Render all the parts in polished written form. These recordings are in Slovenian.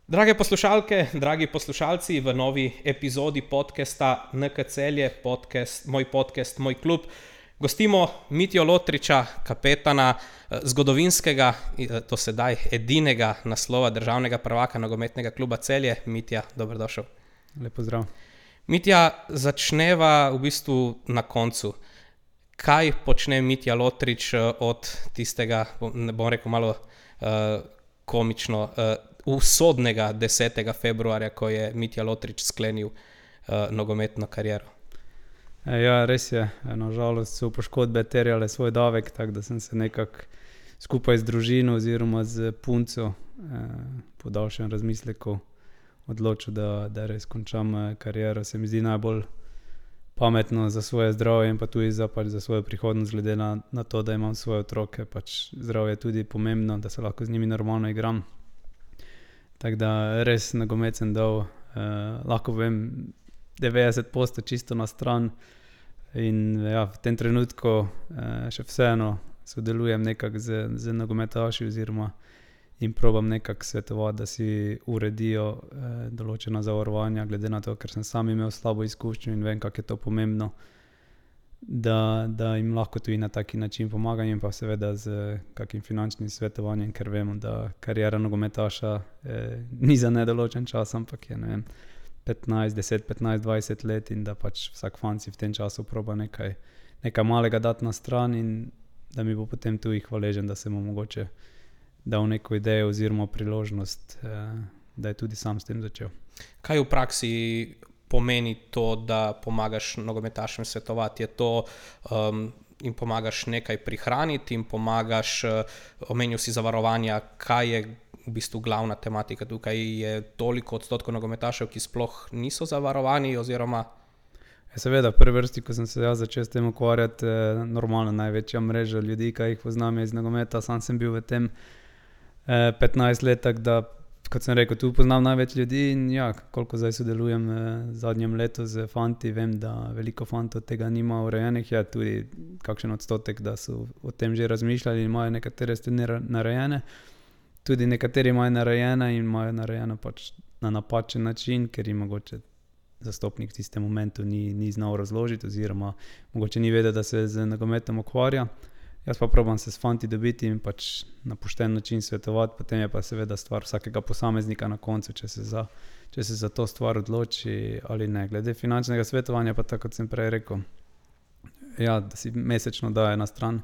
Drage poslušalke, dragi poslušalci, v novi epizodi podcasta NK Celje, moj podcast, moj klub, gostimo Mitjo Lotriča, kapetana zgodovinskega, do sedaj edinega naslova državnega prvaka nogometnega kluba Celje. Mitja, dobrodošel. Lep pozdrav. Mitja, začneva v bistvu na koncu. Kaj počne Mitja Lotrič od tistega, ne bom rekel malo komično, usodnega 10. februarja, ko je Mitja Lotrič sklenil nogometno kariero? Ja, res je. Nažalost so poškodbe terjale svoj davek, tako da sem se nekako skupaj z družino oziroma z punco po daljšem razmisleku odločil, da res končam kariero. Se mi zdi najbolj pametno za svoje zdravje in pa tudi za svojo prihodnost, glede na to, da imam svoje otroke. Zdravje je tudi pomembno, da se lahko z njimi normalno igram. Tako da res nogomet sem dal, lahko povem, 90% čisto na stran. In ja, v tem trenutku še vseeno sodelujem nekako z nogometaši oziroma jim probam nekako svetovati, da si uredijo določena zavarovanja, glede na to, ker sem sam imel slabo izkušnjo in vem, kako je to pomembno, da jim lahko tudi na taki način pomagam in pa seveda z kakim finančnim svetovanjem, ker vemo, da kariera nogometaša ni za nedoločen čas, ampak je, ne vem, 10, 15, 20 let in da vsak fan si v tem času proba nekaj malega dati na stran in da mi bo potem tudi hvaležen, da sem mu mogoče dal neko idejo oziroma priložnost, da je tudi sam s tem začel. Kaj v praksi pomeni to, da pomagaš nogometašem svetovati? Je to jim pomagaš nekaj prihraniti, jim pomagaš, omenil si zavarovanja, kaj je v bistvu glavna tematika tukaj? Je toliko odstotkov nogometašev, ki sploh niso zavarovani oziroma? Seveda, v prvi vrsti, ko sem se začel s tem ukvarjati, normalno največja mreža ljudi, ki jih poznam iz nogometa, sam sem bil v tem 15 let, tako da, kot sem rekel, tu poznam največ ljudi in ja, koliko zdaj sodelujem v zadnjem letu z fanti, vem, da veliko fantov tega nima urejenih, je tudi kakšen odstotek, da so o tem že razmišljali in imajo nekatere stvari narejene. Tudi nekateri imajo narejene in imajo narejeno na napačen način, ker jim mogoče zastopnik v tistem momentu ni znal razložiti oziroma mogoče ni vedel, da se z nogometom ukvarja. Jaz pa probam se s fanti dobiti in na pošten način svetovati, potem je pa seveda stvar vsakega posameznika na koncu, če se za to stvar odloči ali ne. Glede finančnega svetovanja pa tako, kot sem prej rekel, ja, da si mesečno daje na stran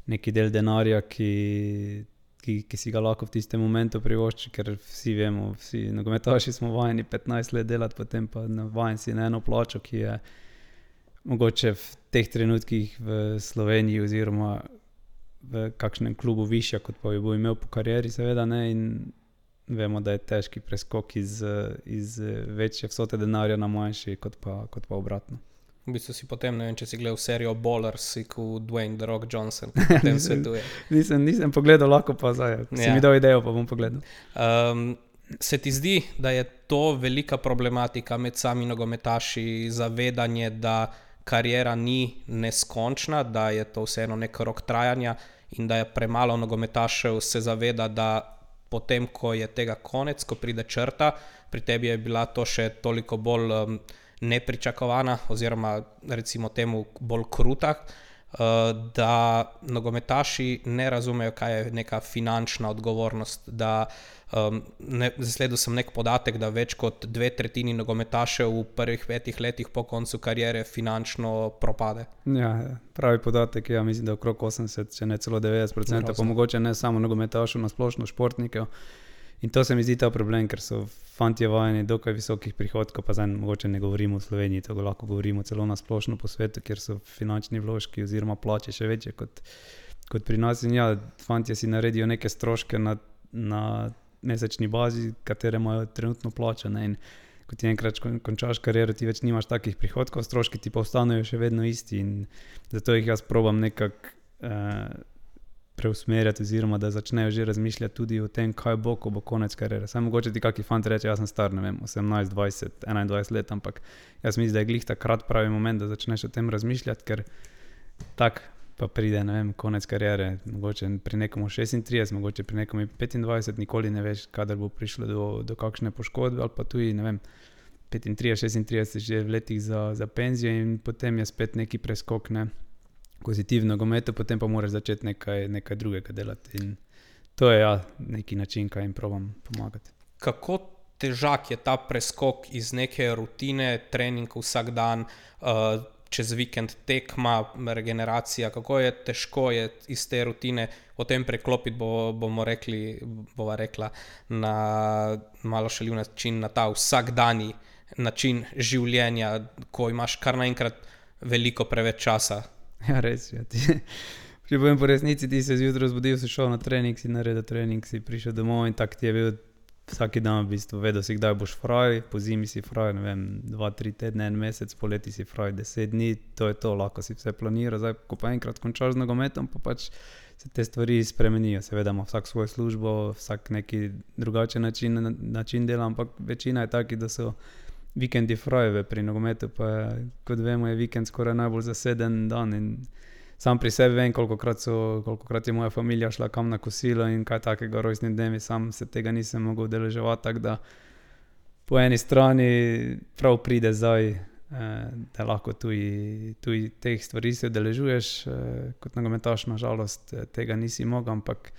neki del denarja, ki si ga lahko v tistem momentu privošči, ker vsi vemo, vsi nogometaši smo vajeni 15 let delati, potem pa vajen si na eno plačo, ki je mogoče v teh trenutkih v Sloveniji oziroma v kakšnem klubu višja, kot pa jo bo imel po karieri, seveda ne, in vemo, da je težki preskok iz večje vsote denarja na manjši, kot pa obratno. V bistvu si potem, ne vem, če si gledal serijo Ballers, si kot Dwayne The Rock Johnson, ki potem svetuje. Nisem pogledal, lahko pa zdaj. Si mi dal idejo, pa bom pogledal. Se ti zdi, da je to velika problematika med sami nogometaši, zavedanje, da kariera ni neskončna, da je to vseeno nek rok trajanja in da je premalo nogometašev se zaveda, da potem, ko je tega konec, ko pride črta, pri tebi je bila to še toliko bolj nepričakovana oziroma recimo temu bolj kruta, da nogometaši ne razumejo, kaj je neka finančna odgovornost, da zasledil sem nek podatek, da več kot 2/3 nogometašev v prvih 5 letih po koncu kariere finančno propade. Ja, pravi podatek, ja, mislim, da okrog 80, če ne celo 90%, pa mogoče ne samo nogometašev, na splošno športnikov. In to se mi zdi ta problem, ker so fantje vajeni dokaj visokih prihodkov, pa zdaj mogoče ne govorimo v Sloveniji, to lahko govorimo celo na splošno po svetu, kjer so finančni vložki oziroma plače še večje kot pri nas. In ja, fantje si naredijo neke stroške na mesečni bazi, katere imajo trenutno plačane, in ko ti enkrat končaš kariero, ti več nimaš takih prihodkov, stroški ti pa ostanejo še vedno isti in zato jih jaz probam nekako preusmerjati oziroma da začnejo že razmišljati tudi o tem, kaj bo, ko bo konec kariere. Saj mogoče ti kaki fant reče, jaz sem star, ne vem, 18, 20, 21 let, ampak jaz mislim, da je glih takrat pravi moment, da začneš o tem razmišljati, ker tak pa pride, ne vem, konec kariere, mogoče pri nekomu 36, mogoče pri nekomu 25, nikoli ne veš, kadar bo prišlo do kakšne poškodbe, ali pa tudi, ne vem, 35, 36 že v letih za penzijo in potem je spet neki preskok, ne, ko si ti v nogometu, potem pa moraš začeti nekaj drugega delati in to je neki način, kaj jim probam pomagati. Kako težak je ta preskok iz neke rutine, trening vsak dan, čez vikend tekma, regeneracija, kako je težko je iz te rutine potem preklopiti, bova rekla, na malo šaljiv način, na ta vsakdanji način življenja, ko imaš kar naenkrat veliko preveč časa. Ja, res je. Če povem po resnici, ti se zjutraj zbudil, si šel na trening, si naredil trening, si prišel domov in tak ti je bil vsaki dan v bistvu, vedel si, kdaj boš fraj, po zimi si fraj, ne vem, 2-3 tedne, 1 mesec, poleti si fraj 10 dni, to je to, lahko si vse planira, zdaj, ko pa enkrat končaš z nogometom, pa pač se te stvari spremenijo, seveda ima vsak svojo službo, vsak neki drugačen način dela, ampak večina je taki, da so vikendi frajeve pri nogometu, pa kot vemo, je vikend skoraj najbolj zaseden dan in sam pri sebi vem, kolikokrat je moja familija šla kam na kosilo in kaj takega rojstni dnevi, sam se tega nisem mogel udeleževati, tako da po eni strani prav pride zdaj, da lahko tudi teh stvari se udeležuješ, kot nogometaš na žalost tega nisi mogel, ampak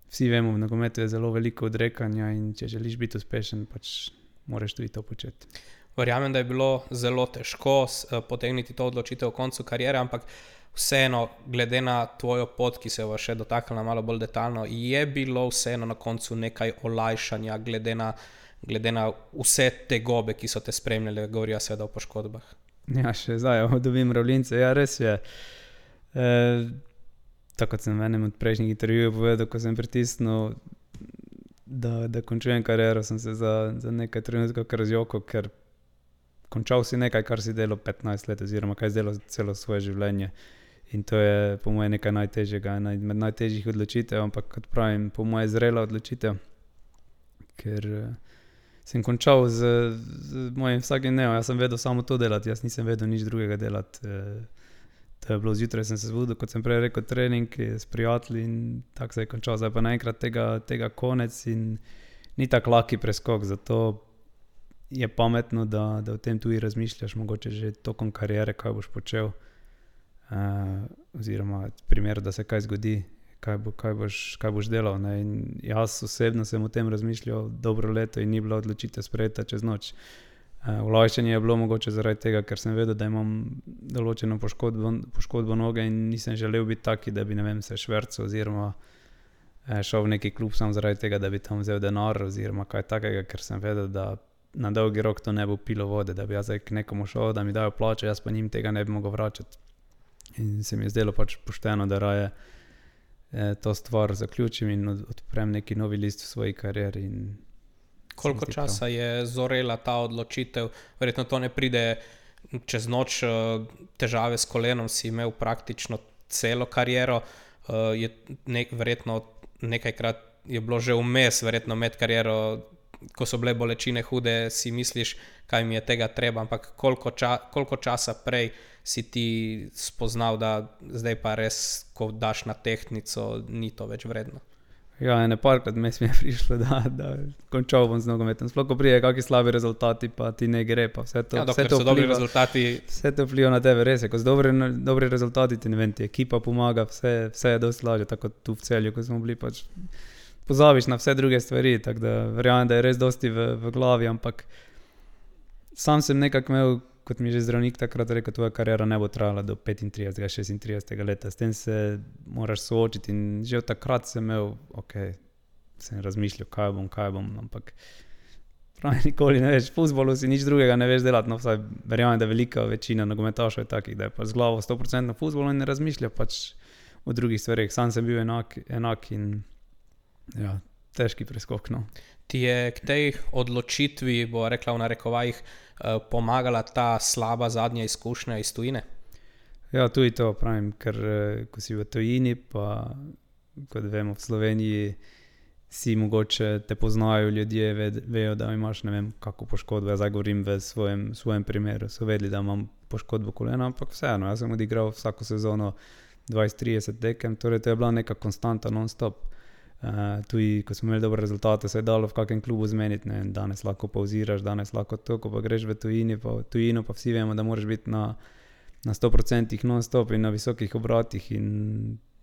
vsi vemo, v nogometu je zelo veliko odrekanja in če želiš biti uspešen, pač moraš tudi to početi. Verjamem, da je bilo zelo težko potegniti to odločitev v koncu kariere, ampak vseeno, glede na tvojo pot, ki se bo še dotaknila malo bolj detaljno, je bilo vseeno na koncu nekaj olajšanja, glede na vse te gobe, ki so te spremljale, govorijo seveda o poškodbah. Ja, še zdaj dobim mravljince, ja, res je. Tako kot sem v enem od prejšnjih intervjujev povedal, ko sem pritisnil, da končujem kariero, sem se za nekaj trenutkov kar zjokal, ker končal si nekaj, kar si delal 15 let oziroma kaj si delal celo svoje življenje. In to je po moje nekaj najtežjega, med najtežjih odločitev, ampak kot pravim, po moje zrela odločitev, ker sem končal z mojim vsakim dnevom, jaz sem vedel samo to delati, jaz nisem vedel nič drugega delati. To je bilo zjutraj, sem se zbudil, kot sem prej rekel, trening s prijatelji in tako se je končal. Zdaj pa naenkrat tega konec in ni tak laki preskok, zato je pametno, da o tem tudi razmišljaš, mogoče že tokom kariere, kaj boš počel, oziroma v primeru, da se kaj zgodi, kaj boš delal, ne? In jaz osebno sem o tem razmišljal dobro leto in ni bila odločitev sprejeta čez noč. Olajšanje je bilo mogoče zaradi tega, ker sem vedel, da imam določeno poškodbo noge in nisem želel biti taki, da bi, ne vem, se švercal oziroma šel v neki klub samo zaradi tega, da bi tam vzel denar oziroma kaj takega, ker sem vedel, da na dolgi rok to ne bo pilo vode, da bi jaz k nekomu šel, da mi dajo plačo, jaz pa njim tega ne bi mogel vračati. In se mi je zdelo pač pošteno, da raje to stvar zaključim in odprem neki novi list v svoji karieri. Koliko časa je zorela ta odločitev? Verjetno to ne pride čez noč, težave s kolenom si imel praktično celo kariero, verjetno nekajkrat je bilo že vmes, verjetno med kariero, ko so bile bolečine hude, si misliš, kaj mi je tega treba, ampak koliko časa prej si ti spoznal, da zdaj pa res, ko daš na tehtnico, ni to več vredno? Ja, parkrat mi je prišlo, da končal bom z nogometom. Sploh, ko prije kakšni slabi rezultati, pa ti ne gre, pa vse to. Ja, dokler so dobri rezultati. Vse to vpliva na tebe, res je. Ko so dobri rezultati, ti ne vem, ti ekipa pomaga, vse je dosti lažje, tako tu v Celju, ko smo bili, pač pozabiš na vse druge stvari, tako da verjamem, da je res dosti v glavi, ampak sam sem nekako imel, kot mi je že zdravnik takrat rekel, tvoja kariera ne bo trajala do 35, 36 leta, s tem se moraš soočiti in že od takrat sem imel, sem razmišljal, kaj bom, ampak pravi, nikoli ne veš, v fuzbolu si nič drugega ne veš delati, no vsaj verjamem, da velika večina nogometašov je takih, da je pa z glavo 100% na fuzbolu in ne razmišlja pač o drugih stvareh, sam sem bil enak in ja, težki preskok, no. Ti je k tej odločitvi, bo rekla v narekovajih, pomagala ta slaba zadnja izkušnja iz tujine? Ja, tudi to pravim, ker ko si v tujini, pa kot vemo v Sloveniji, si mogoče te poznajo ljudje, vejo, da imaš, ne vem, kako poškodbo, jaz govorim v svojem primeru, so vedeli, da imam poškodbo kolena, ampak vseeno, jaz sem odigral vsako sezono 20-30 tekem, torej to je bila neka konstanta non-stop. Tudi, ko smo imeli dobre rezultate, se je dalo v kakem klubu zmeniti, ne, danes lahko pauziraš, danes lahko to, ko pa greš v tujino, pa vsi vemo, da moraš biti na 100% non-stop in na visokih obratih in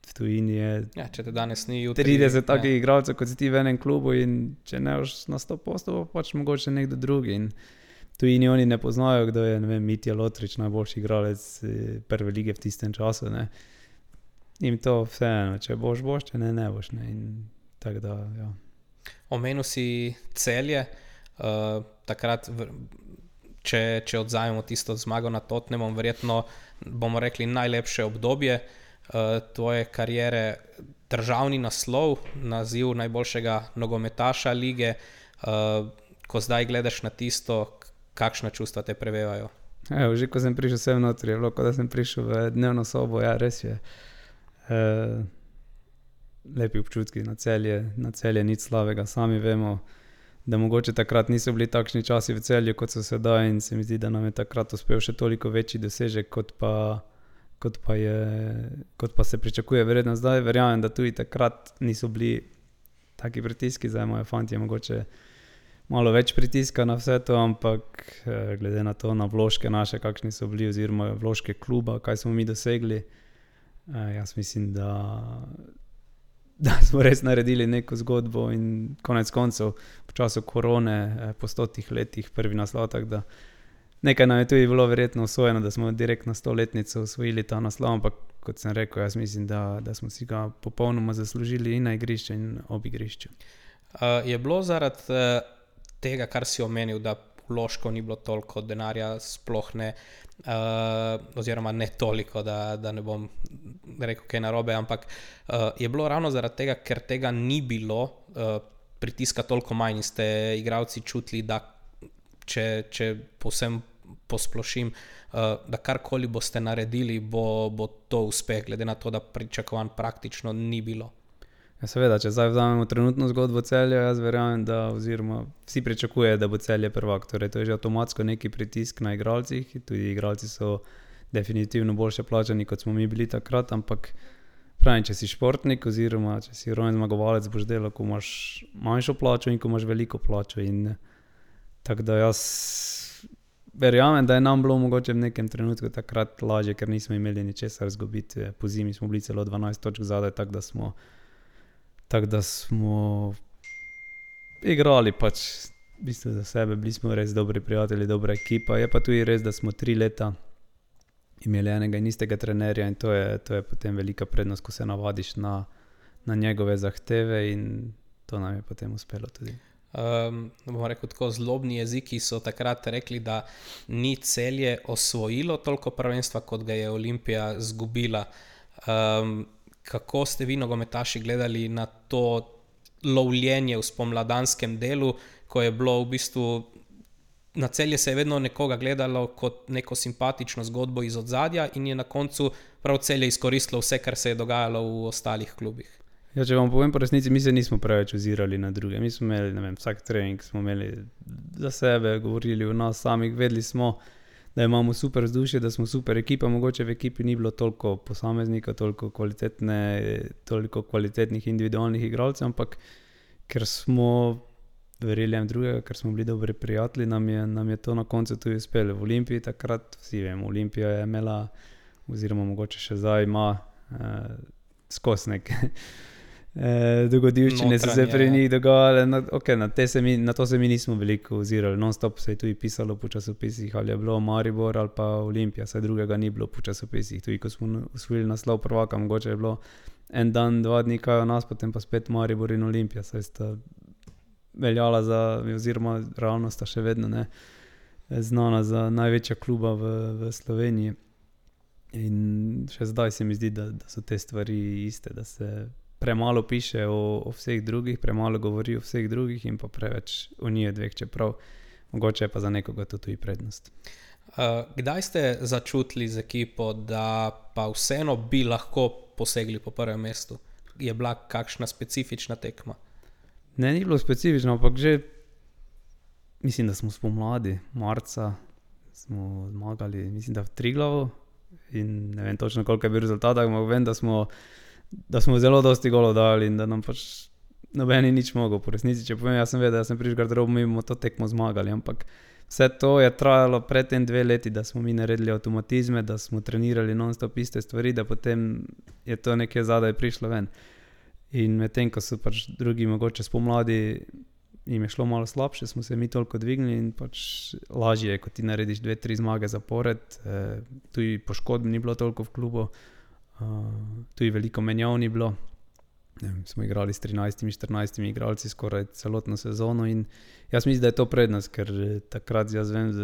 v tujini je če te danes ni jutri, 30 takih igralcev, kot si ti v enem klubu in če ne boš na 100%, pa pač mogoče nekdo drugi in tujini oni ne poznajo, kdo je, ne vem, Mitja Lotrič, najboljši igralec prve lige v tistem času, ne. In to vseeno, če boš, če ne boš, ne, in tako da, ja. Omenil si Celje, takrat, če odzajemo tisto zmago nad Tottenhamom, verjetno bomo rekli najlepše obdobje tvoje kariere, državni naslov, naziv najboljšega nogometaša lige, ko zdaj gledaš na tisto, kakšna čustva te prevevajo? Že ko sem prišel sem notri, je bilo, ko da sem prišel v dnevno sobo, ja, res je. Lepi občutki na Celje, nič slabega, sami vemo, da mogoče takrat niso bili takšni časi v Celju, kot so sedaj in se mi zdi, da nam je takrat uspel še toliko večji dosežek, kot pa se pričakuje verjetno zdaj. Verjamem, da tudi takrat niso bili taki pritiski, zdaj imajo fantje mogoče malo več pritiska na vse to, ampak glede na to, na vložke naše, kakšni so bili, oziroma vložke kluba, kaj smo mi dosegli, jaz mislim, da smo res naredili neko zgodbo in konec koncev v času korone, po 100 letih prvi naslov, tako da nekaj nam je tudi bilo verjetno usvojeno, da smo direkt na 100-letnico usvojili ta naslov, ampak kot sem rekel, jaz mislim, da smo si ga popolnoma zaslužili in na igrišču in ob igrišču. Je bilo zaradi tega, kar si omenil, da vložkov ni bilo toliko, denarja sploh ne, oziroma ne toliko, da ne bom rekel kaj narobe, ampak je bilo ravno zaradi tega, ker tega ni bilo, pritiska toliko manj in ste igralci čutili, da če povsem posplošim, da karkoli boste naredili, bo to uspeh, glede na to, da pričakovanj praktično ni bilo. Ja, seveda, če zdaj vzamemo trenutno zgodbo Celja, jaz verjamem, da oziroma vsi pričakuje, da bo Celje prvak, torej to je že avtomatsko neki pritisk na igralcih, tudi igralci so definitivno boljše plačani, kot smo mi bili takrat, ampak pravim, če si športnik oziroma če si rojen zmagovalec, boš delal, ko imaš manjšo plačo in ko imaš veliko plačo in tako da jaz verjamem, da je nam bilo mogoče v nekem trenutku takrat lažje, ker nismo imeli ničesar izgubiti, po zimi smo bili celo 12 točk zadaj, tako da smo igrali pač v bistvu za sebe, bili smo res dobri prijatelji, dobra ekipa, je pa tudi res, da smo 3 leta imeli enega in istega trenerja in to je potem velika prednost, ko se navadiš na njegove zahteve in to nam je potem uspelo tudi. Bomo rekel tako, zlobni jeziki so takrat rekli, da ni Celje osvojilo toliko prvenstva, kot ga je Olimpija zgubila. Kako ste vi nogometaši gledali na to lovljenje v spomladanskem delu, ko je bilo v bistvu na Celje se je vedno nekoga gledalo kot neko simpatično zgodbo iz odzadja in je na koncu prav Celje izkoristilo vse, kar se je dogajalo v ostalih klubih? Ja, če vam povem po resnici, mi se nismo preveč ozirali na druge. Mi smo imeli, ne vem, vsak trening smo imeli za sebe, govorili o nas samih, vedeli smo, da imamo super vzdušje, da smo super ekipa, mogoče v ekipi ni bilo toliko posameznika, toliko kvalitetnih individualnih igralcev, ampak ker smo verjeli en drugega, ker smo bili dobri prijatelji, nam je to na koncu tudi uspelo. V Olimpiji takrat, vsi vemo, Olimpija je imela, oziroma mogoče še zdaj ima skozi neke dogodivščine so se pri njih dogajale, na to se mi nismo veliko ozirali, non-stop se je tudi pisalo po časopisih, ali je bilo Maribor ali pa Olimpija, saj drugega ni bilo po časopisih, tudi ko smo osvojili naslov prvaka, mogoče je bilo en dan, 2 dni kaj o nas, potem pa spet Maribor in Olimpija, saj sta veljala za, oziroma realno sta še vedno znana za največja kluba v Sloveniji in še zdaj se mi zdi, da so te stvari iste, da se premalo piše o vseh drugih, premalo govori o vseh drugih in pa preveč o njih dveh, čeprav mogoče je pa za nekoga to tudi prednost. Kdaj ste začutili z ekipo, da pa vseeno bi lahko posegli po prvem mestu? Je bila kakšna specifična tekma? Ne, ni bilo specifično, ampak že mislim, da smo spomladi, marca smo zmagali, mislim, da v Triglavu in ne vem točno, koliko je bil rezultat, ampak vem, da smo zelo dosti golov dali in da nam pač nobeni nič mogel. Po resnici, če povem, jaz sem vedel, da sem prišel garderobo, mi bomo to tekmo zmagali, ampak vse to je trajalo predtem 2 leti, da smo mi naredili avtomatizme, da smo trenirali non-stop iste stvari, da potem je to nekje zadaj prišlo ven. In medtem, ko so pač drugi mogoče spomladi jim je šlo malo slabše, smo se mi toliko dvignili in pač lažje je, ko ti narediš 2-3 zmage zapored. Tudi poškodb ni bilo toliko v klubu, tudi veliko menjav ni bilo. Smo igrali s 13-14 igralci skoraj celotno sezono in jaz mislim, da je to prednost, ker takrat jaz vem z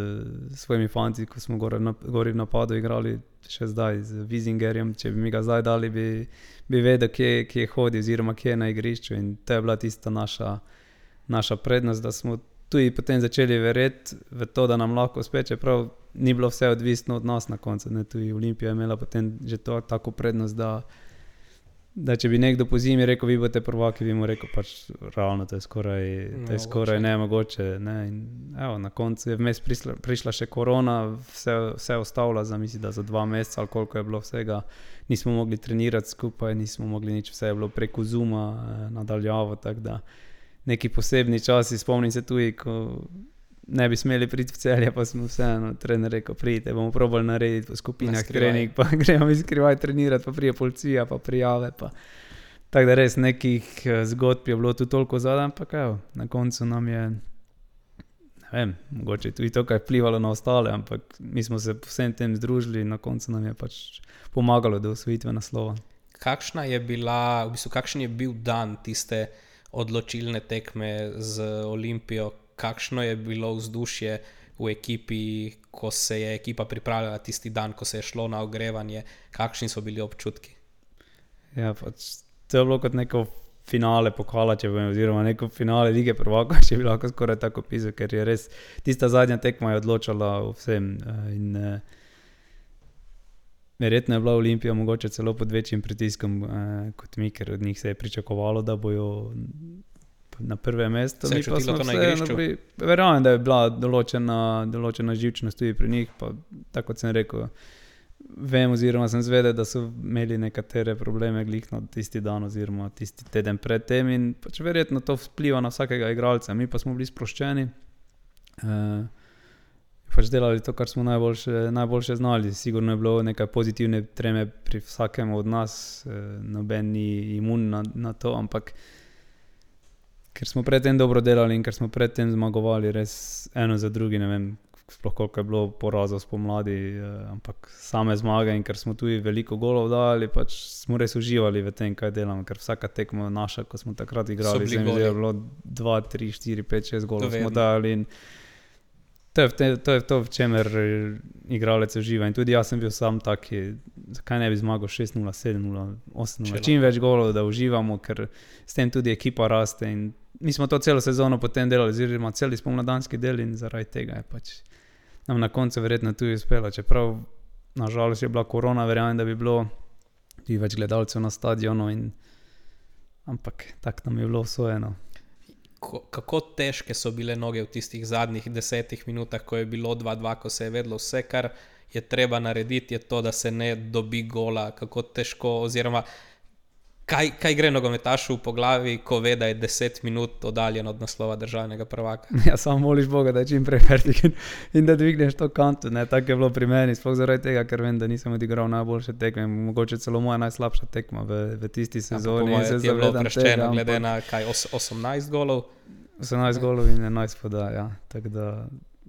svojimi fanti, ko smo gori v napadu igrali še zdaj z Wisingerjem, če bi mi ga zdaj dali, bi vedel, kje hodi oziroma kje je na igrišču in to je bila tista naša prednost, da smo tudi potem začeli verjeti v to, da nam lahko uspe, čeprav ni bilo vse odvisno od nas na koncu. Tudi Olimpija je imela potem že to tako prednost, da če bi nekdo po zimi rekel, vi boste prvaki, bi mu rekel, pač realno to je skoraj nemogoče. Ne? In evo, na koncu je vmes prišla še korona, vse ostavila mislim, da za 2 meseca ali koliko je bilo vsega. Nismo mogli trenirati skupaj, nismo mogli nič, vse je bilo preko Zooma nadaljavo, tako da neki posebni časi, spomnim se tudi, ko ne bi smeli priti v Celje, pa smo vseeno trener rekel, pridite, bomo probali narediti po skupinah trening, pa gremo mi skrivaj trenirati, pa prije policija, pa prijave, pa tako da res nekih zgodb je bilo tu toliko zadaj, ampak evo, na koncu nam je, ne vem, mogoče tudi to, kaj je vplivalo na ostale, ampak mi smo se vsem tem združili in na koncu nam je pač pomagalo do osvojitve naslova. Kakšen je bil dan tiste odločilne tekme z Olimpijo? Kakšno je bilo vzdušje v ekipi, ko se je ekipa pripravljala tisti dan, ko se je šlo na ogrevanje? Kakšni so bili občutki? Ja, pač to je bilo kot neko finale pokala, če povem, oziroma neko finale lige prvaka, če bi lahko skoraj tako pisal, ker je res tista zadnja tekma je odločala o vsem in verjetno je bila Olimpija mogoče celo pod večjim pritiskom kot mi, ker od njih se je pričakovalo, da bojo na prve mesto. Se je čutilo to na igrišču? Verjamem, da je bila določena živčnost tudi pri njih, pa tako kot sem rekel, vem oziroma sem zvedel, da so imeli nekatere probleme glih na tisti dan oziroma tisti teden pred tem in pač verjetno to vpliva na vsakega igralca. Mi pa smo bili sproščeni, pač delali to, kar smo najboljše znali. Sigurno je bilo nekaj pozitivne treme pri vsakem od nas, noben ni imun na to, ampak ker smo predtem dobro delali in ker smo predtem zmagovali res eno za drugi, ne vem, sploh koliko je bilo porazov spomladi, ampak same zmage in ker smo tudi veliko golov dali, pač smo res uživali v tem, kaj delamo, ker vsaka tekma naša, ko smo takrat igrali, je bilo 2, 3, 4, 5, 6 golov smo dali in to je to, v čemer igralec uživa in tudi jaz sem bil sam taki, zakaj ne bi zmagal 6-0, 7-0, 8-0, čim več golov, da uživamo, ker s tem tudi ekipa raste in mi smo to celo sezono potem delali, oziroma celi spomladanski del in zaradi tega je pač nam na koncu verjetno tudi uspelo, čeprav nažalost je bila korona, verjamem, da bi bilo tudi več gledalcev na stadionu ampak tako nam je bilo usvojeno. Kako težke so bile noge v tistih zadnjih 10 minutah, ko je bilo 2-2, ko se je vedlo vse, kar je treba narediti, je to, da se ne dobi gola, kako težko, oziroma kaj gre nogometašu po glavi, ko ve, da je 10 minut oddaljen od naslova državnega prvaka? Ja, samo moliš Boga, da je čim prej fertik in da dvigneš to kanto, ne, tako je bilo pri meni, sploh zaradi tega, ker vem, da nisem odigral najboljše tekme, mogoče celo moja najslabša tekma v tisti sezoni. Ja, je bilo preščeno, glede na 18 golov? 18 golov in 11 podaj, ja, tako da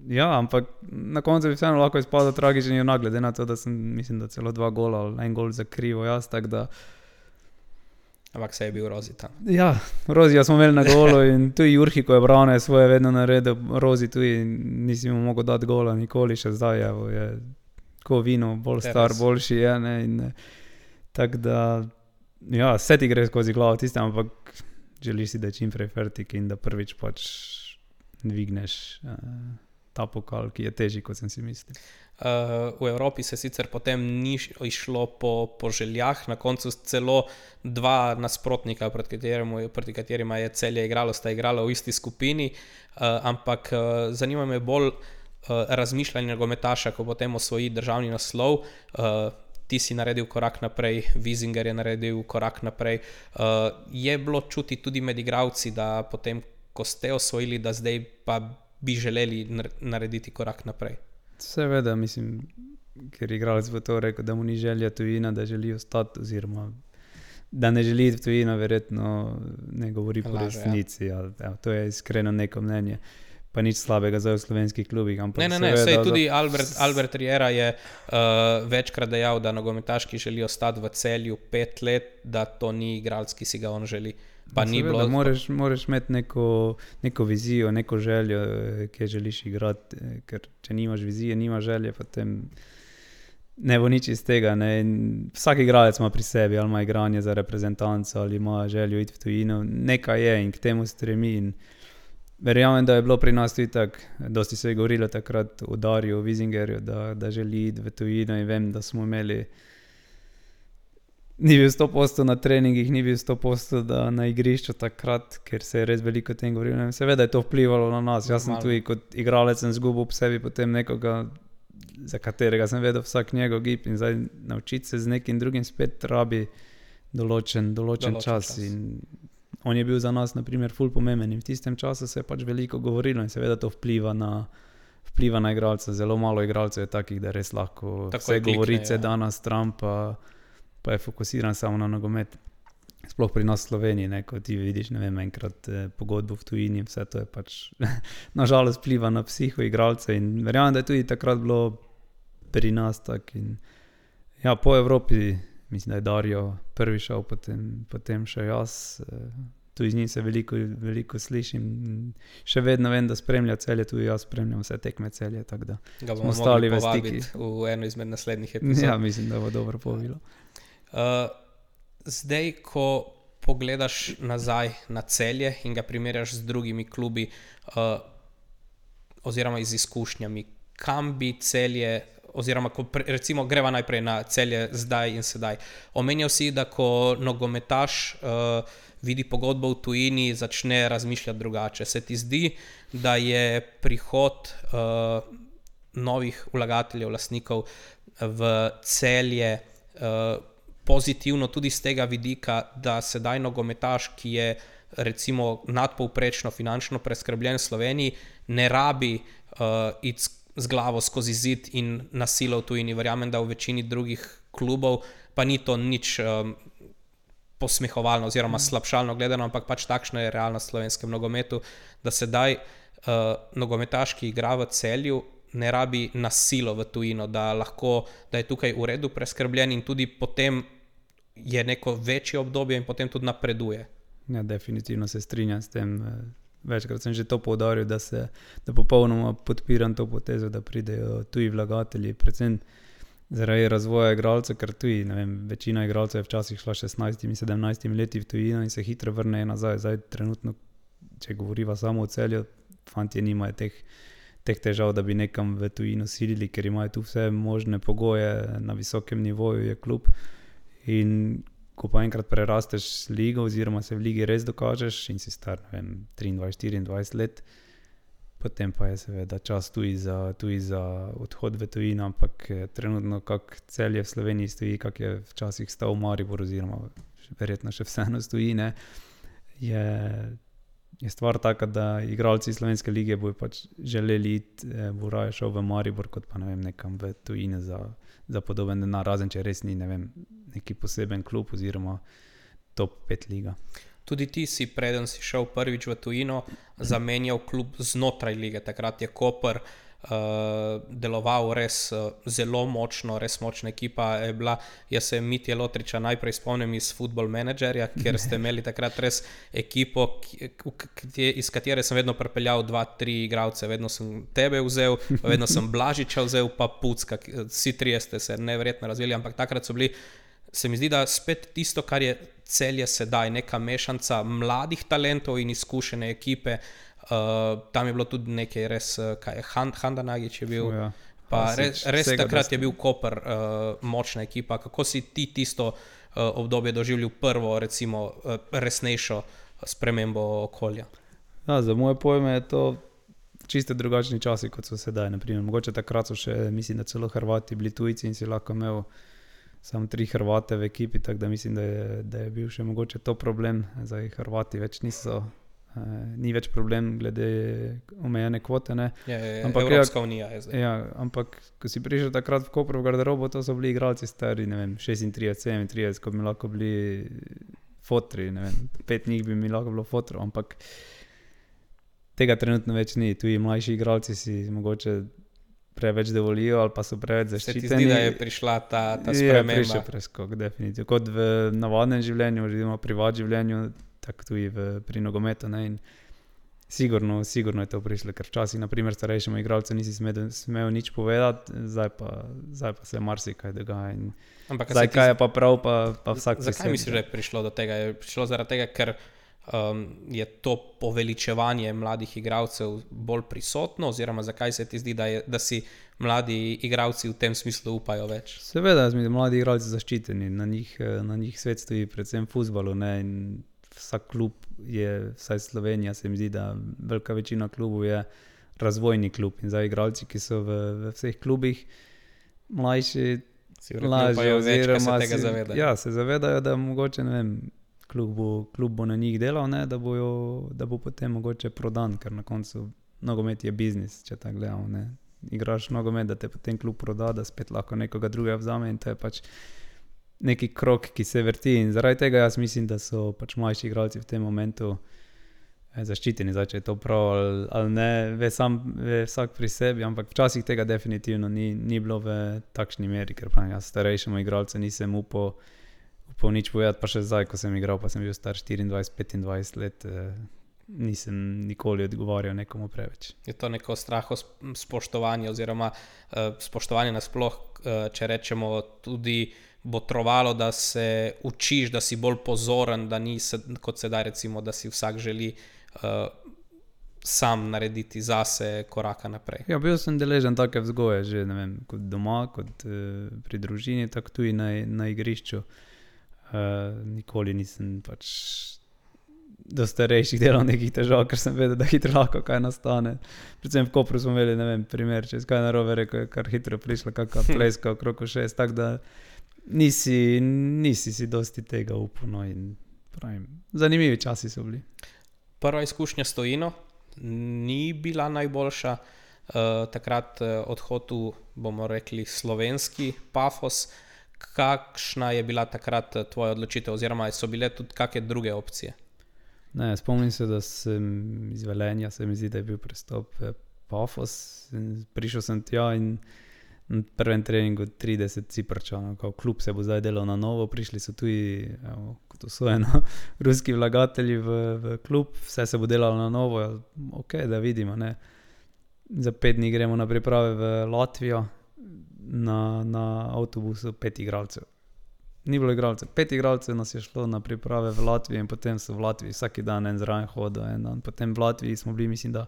ja, ampak na koncu bi vseeno lahko izpadel tragičen junak, glede na to, da sem, mislim, da celo 2 gola ali 1 gol zakrivo jaz, tako da ampak se je bil Rozi tam. Ja, Rozija smo imeli na golu in tudi Jurhi, ko je Brane svoje vedno naredil, Rozi tudi nisi mu mogel dati gola nikoli, še zdaj je ko vino, bolj star, boljši je, ne, in tako da, ja, vse ti gre skozi glavo tistem, ampak želiš si, da je čim prej fertik in da prvič pač dvigneš ta pokal, ki je težji, kot sem si mislil. V Evropi se sicer potem ni išlo po željah, na koncu celo 2 nasprotnika, proti katerima je Celje igralo, sta igrala v isti skupini, ampak zanima me bolj razmišljanje nogometaša, ko potem osvoji državni naslov, ti si naredil korak naprej, Wiesinger je naredil korak naprej. Je bilo čuti tudi med igravci, da potem, ko ste osvojili, da zdaj pa bi želeli narediti korak naprej? Seveda, mislim, ker igralec bo to rekel, da mu ni želja tujina, da želi ostati, oziroma da ne želi v tujino, verjetno ne govori po resnici. Ja. To je iskreno neko mnenje. Pa nič slabega zdaj v slovenskih klubih. Ne, sej tudi Albert Riera je večkrat dejal, da nogometaš, ki želi ostati v Celju 5 let, da to ni igralec, ki si ga on želi. Pa ni bilo... Moraš imeti neko vizijo, neko željo, ki želiš igrati, ker če nimaš vizije, nimaš želje, potem ne bo nič iz tega. Ne. Vsak igralec ima pri sebi, ali ima igranje za reprezentanco, ali ima željo iti v tujino. Nekaj je in k temu stremi. In verjamem, da je bilo pri nas tudi tako, dosti se je govorilo takrat o Darju, o Wiesingerju, da želi iti v tujino, in vem, da smo imeli, ni bil 100% na treningih, ni bil 100% na igrišču takrat, ker se je res veliko o tem govorilo. Seveda je to vplivalo na nas. Jaz sem tudi kot igralec zgubil v sebi potem nekoga, za katerega sem vedel vsak njegov gib, in zdaj naučiti se z nekim drugim spet rabi določen čas. In on je bil za nas, na primer, ful pomemben, in v tistem času se je pač veliko govorilo, in seveda to vpliva na igralca. Zelo malo igralcev je takih, da res lahko tako vse govorice da na stran, pa je fokusiran samo na nogomet. Sploh pri nas v Sloveniji, ne, ko ti vidiš, ne vem, enkrat pogodbo v tujini, vse to je pač nažalost vpliva na psiho igralce, in verjamem, da je tudi takrat bilo pri nas tak. In ja, po Evropi, mislim, da je Dario prvi šel, potem še jaz, tudi z njim se veliko slišim, še vedno vem, da spremlja Celje, tudi jaz spremljam vse tekme Celje, tako da smo ostali v stiki. V eno izmed naslednjih epizod. Ja, mislim, da bo dobro povilo. Zdaj, ko pogledaš nazaj na Celje in ga primerjaš z drugimi klubi, oziroma z izkušnjami, kam bi Celje, oziroma recimo greva najprej na Celje zdaj in sedaj. Omenjal si, da ko nogometaš vidi pogodbo v tujini, začne razmišljati drugače. Se ti zdi, da je prihod novih vlagateljev, lastnikov v Celje pozitivno tudi z tega vidika, da sedaj nogometaš, ki je recimo nadpovprečno finančno preskrbljen v Sloveniji, ne rabi iti z glavo skozi zid in na silo v tujini. Verjamem, da v večini drugih klubov pa ni to nič posmehovalno oziroma slabšalno gledano, ampak pač takšna je realnost v slovenskem nogometu, da sedaj nogometaš, ki igra v Celju, ne rabi na silo v tujino, da je tukaj v redu preskrbljen in tudi potem je neko večje obdobje in potem tudi napreduje. Ja, definitivno se strinjam s tem. Večkrat sem že to poudaril, da popolnoma podpiram to potezo, da pridejo tuji vlagatelji, predvsem zaradi razvoja igralcev, ker tuji, ne vem, večina igralcev je včasih šla 16-17 leti v tujino in se hitro vrnejo nazaj. Zdaj trenutno, če govoriva samo o Celju, fantje nimajo teh težav, da bi nekam v tujino silili, ker imajo tu vse možne pogoje, na visokem nivoju je klub. In ko pa enkrat prerasteš ligo oziroma se v ligi res dokažeš in si star, ne vem, 23-24 let, potem pa je seveda čas tudi za odhod v tujino, ampak trenutno kak Celje v Sloveniji stoji, kak je včasih stal Maribor oziroma verjetno še vseeno stoji, ne, je stvar taka, da igralci slovenske lige bojo pač želeli iti, bo raje šel v Maribor, kot pa ne vem, nekam v tujine za podoben denar, razen če res ni, ne vem, neki poseben klub oziroma top 5 liga. Tudi ti si, preden si šel prvič v tujino, zamenjal klub znotraj lige. Takrat je Koper deloval res zelo močno, res močna ekipa je bila. Jaz se Mitje Lotriča najprej spomnim iz Football Managerja, kjer ste imeli takrat res ekipo, iz katere sem vedno pripeljal 2-3 igralce. Vedno sem tebe vzel, vedno sem Blažiča vzel, pa Pucka. Vsi trije ste se neverjetno razvili, ampak takrat so bili, se mi zdi, da spet tisto, kar je Celje sedaj, neka mešanca mladih talentov in izkušene ekipe. Tam je bilo tudi nekaj res, Handa Nagić je bil, Ja. pa res takrat dosti. je bil Koper močna ekipa. Kako si ti tisto obdobje doživljal, prvo recimo resnejšo spremembo okolja? Ja, za moje pojme je to čisto drugačni časi, kot so sedaj. Naprimer. Mogoče takrat so še, mislim, da celo Hrvati bili tujci in si lahko imel samo 3 Hrvate v ekipi, tako da mislim, da je bil še mogoče to problem. Zdaj Hrvati več niso, ni več problem glede omejene kvote. Ne? Ampak Evropska unija je zdaj. Ja, ampak ko si prišel takrat v Kopru v garderobo, to so bili igralci stari, ne vem, 36, 37, ko bi lahko bili fotri, ne vem, 5 njih bi mi lahko bilo fotrov, ampak tega trenutno več ni. Tuji mlajši igralci si mogoče preveč dovolijo ali pa so preveč zaščiteni. Se ti zdi, da je prišla ta sprememba? Je prišel preskok, definitivno. Kot v navadnem življenju, oziroma privat življenju, tako tudi pri nogometu. Ne? In sigurno je to prišlo, ker včasih, naprimer, starejšemu igralcu nisi smel nič povedati, zdaj pa se marsikaj dogaja. Ampak zdaj, kaj je pa prav, pa vsak se Zakaj misliš, da je prišlo do tega? Je prišlo zaradi tega, ker je to poveličevanje mladih igralcev bolj prisotno, oziroma zakaj se ti zdi, da si mladi igralci v tem smislu upajo več? Seveda, mladi igralci zaščiteni, na njih svet stoji, predvsem v fuzbalu, ne, in vsak klub je, vsaj Slovenija se mi zdi, da velika večina klubov je razvojni klub in zdaj igralci, ki so v vseh klubih mlajši, lažje oziroma se tega zavedajo. Ja, se zavedajo, da mogoče, ne vem, klub bo na njih delal, ne, da bo potem mogoče prodan, ker na koncu nogomet je biznis, če tako gledamo, ne. Igraš nogomet, da te potem klub proda, da spet lahko nekoga drugega vzame in to je pač neki krog, ki se vrti in zaradi tega jaz mislim, da so pač mlajši igralci v tem momentu zaščiteni, zdaj, če je to prav ali ne, ve vsak pri sebi, ampak včasih tega definitivno ni bilo v takšni meri, ker pravim, jaz starejšemu igralcu nisem upal nič povedati, pa še zdaj, ko sem igral, pa sem bil star 24-25 let, nisem nikoli odgovarjal nekomu preveč. Je to neko straho spoštovanje oziroma spoštovanje nasploh, če rečemo, tudi botrovalo, da se učiš, da si bolj pozoren, da ni kot sedaj recimo, da si vsak želi sam narediti zase koraka naprej. Ja, bil sem deležen take vzgoje že, ne vem, kot doma, kot pri družini, tako tudi na igrišču. Nikoli nisem pač do starejših delal nekih težav, ker sem vedel, da hitro lahko kaj nastane. Predvsem v Kopru smo imeli, ne vem, primer, če kaj narobe rekel, je kar hitro prišla kakva pleska okrog 6, tako da nisi si dosti tega upal, no, in pravim, zanimivi časi so bili. Prva izkušnja s tujino ni bila najboljša, takrat odhod v, bomo rekli, slovenski Pafos. Kakšna je bila takrat tvoja odločitev, oziroma so bile tudi kakšne druge opcije? Ne, spomnim se, da sem iz Velenja, se mi zdi, da je bil prestop Pafos. Prišel sem tja in na prvem treningu 30 Ciprčanov, kao klub se bo zdaj delal na novo, prišli so tudi, kot usvojeno, ruski vlagatelji v klub, vse se bo delalo na novo, ok, da vidimo, ne. Za 5 dni gremo na priprave v Latvijo, na avtobusu 5 igralcev. Ni bilo igralcev, 5 igralcev nas je šlo na priprave v Latviji in potem so v Latviji vsaki dan en zraven hodil, en dan. Potem v Latviji smo bili, mislim, da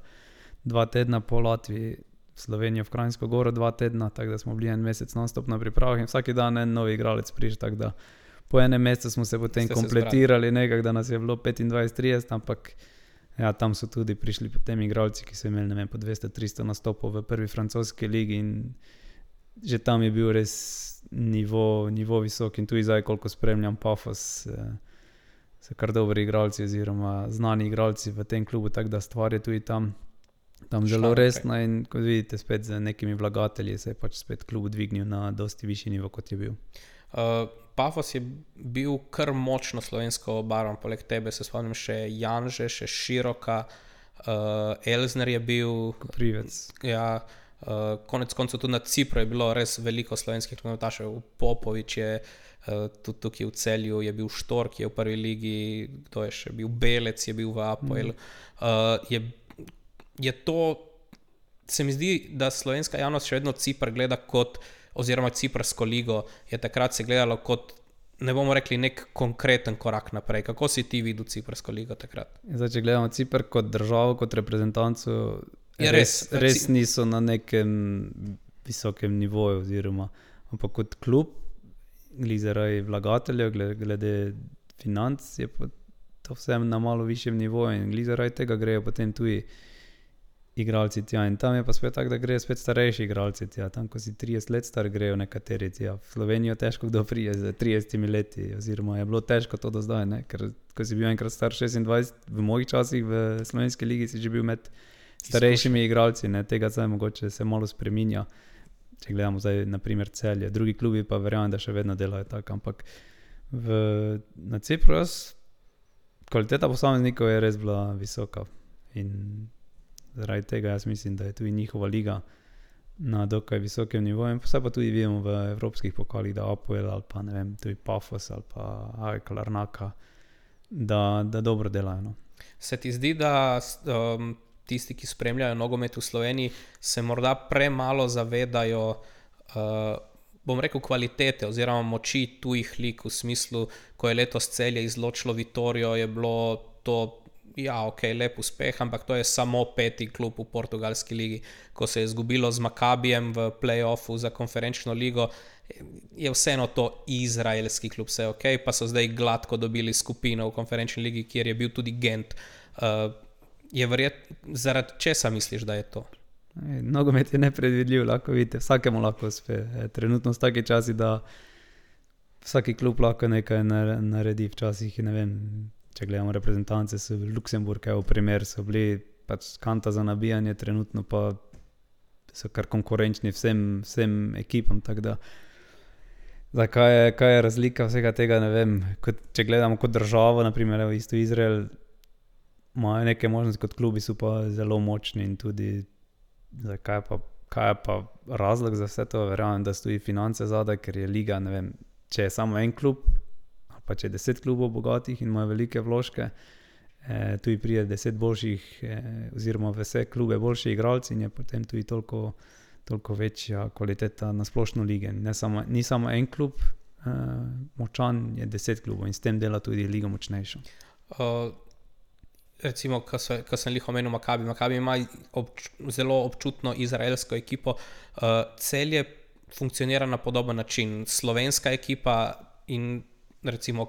2 tedna po Latviji, v Slovenijo, v Kranjsko Goro 2 tedna, tako da smo bili en mesec non-stop na pripravah in vsaki dan en novi igralec prišel, tako da po enem mesecu smo se potem kompletirali nekako, da nas je bilo 25-30, ampak ja, tam so tudi prišli potem igralci, ki so imeli, ne vem, po 200-300 nastopov v prvi francoski ligi in že tam je bil res nivo visok in tudi zdaj, koliko spremljam Pafos, so kar dobri igralci oziroma znani igralci v tem klubu, tako da stvar je tudi tam zelo resna in kot vidite spet z nekimi vlagatelji se je pač spet klub dvignil na dosti višji nivo, kot je bil. Pafos je bil kar močno slovensko obarvan, poleg tebe se spomnim še Janže, še Široka, Elzner je bil. Koprivec. Ja, konec koncev tudi na Cipru je bilo res veliko slovenskih nogometašev. Popovič je tudi tukaj v Celju, je bil Štork, je v prvi ligi, kdo je še bil, Belec je bil v APOEL. Je to, se mi zdi, da slovenska javnost še vedno Cipr gleda kot, oziroma Ciprsko ligo je takrat se gledalo kot, ne bomo rekli, nek konkreten korak naprej. Kako si ti videl Ciprsko ligo takrat? Zdaj, če gledamo Cipr kot državo, kot reprezentanco, res niso na nekem visokem nivoju, oziroma, ampak kot klub, zaradi vlagateljev, glede financ, je pa to vsem na malo višjem nivoju in zaradi tega grejo potem tudi igralci tja in tam je pa spet tako, da grejo spet starejši igralci tja, tam ko si 30 let star, grejo nekateri tja. V Slovenijo težko kdo prije z 30 leti, oziroma je bilo težko to do zdaj, ne? Ker ko si bil enkrat star 26, v mojih časih v slovenski ligi si že bil med starejšimi igralci, ne? Tega zdaj mogoče se malo spreminja, če gledamo zdaj na primer Celje, drugi klubi pa verjamem, da še vedno delajo tako, ampak na Cipru kvaliteta posameznikov je res bila visoka in zaradi tega jaz mislim, da je tudi njihova liga na dokaj visokem nivoju in vse pa tudi vidimo v evropskih pokalih, da Apoel ali pa ne vem, tudi Pafos ali pa AEK Larnaka, da dobro delajo. No. Se ti zdi, da tisti, ki spremljajo nogomet v Sloveniji, se morda premalo zavedajo bom rekel kvalitete oziroma moči tujih lig v smislu, ko je letos Celje izločilo Vitorijo, je bilo to lep uspeh, ampak to je samo 5. klub v portugalski ligi. Ko se je izgubilo z Makabijem v play-offu za konferenčno ligo, je vseeno to izraelski klub, vse pa so zdaj gladko dobili skupino v konferenčni ligi, kjer je bil tudi Gent. Je zaradi česa misliš, da je to? Nogomet je nepredvidljiv, lahko vidite, vsakemu lahko uspe. Trenutno so taki časi, da vsaki klub lahko nekaj naredi. Včasih, ne vem, če gledamo reprezentance, so Luksemburg, v primer, so bili pač kanta za nabijanje, trenutno pa so kar konkurenčni vsem ekipam, tako da kaj je razlika vsega tega, ne vem, če gledamo kot državo, na primer, isto Izrael, imajo neke možnosti kot klubi, so pa zelo močni in tudi kaj je pa razlog za vse to, verjamem, da stoji finance zadaj, ker je liga, ne vem, če je samo en klub, ali pa če je 10 klubov bogatih in imajo velike vložke, tudi pride 10 boljših, oziroma v vse klube boljši igralci in je potem tudi toliko večja kvaliteta na splošno lige. Ni samo en klub močan, je 10 klubov in s tem dela tudi liga močnejša. Recimo, ko sem lih omenil Makabi ima zelo občutno izraelsko ekipo. Celje funkcionira na podoben način. Slovenska ekipa in recimo,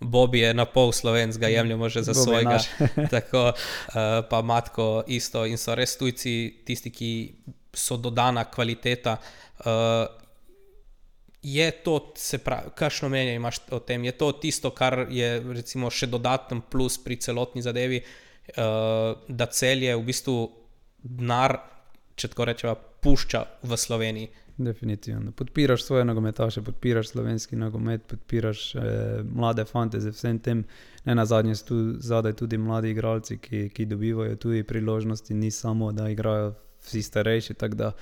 Bobby je na pol Slovenc, ga jemljamo že za svojega. Tako, pa Matko isto in so res tujci tisti, ki so dodana kvaliteta. Je to, se pravi, kakšno mnenje imaš o tem? Je to tisto, kar je recimo še dodaten plus pri celotni zadevi, da Celje v bistvu denar, če tako rečeva, pušča v Sloveniji? Definitivno. Podpiraš svoje nogometaše, podpiraš slovenski nogomet, podpiraš mlade fante z vsem tem. Ne nazadnje so tu zadaj tudi mladi igralci, ki dobivajo tudi priložnosti, ni samo, da igrajo vsi starejši, tako da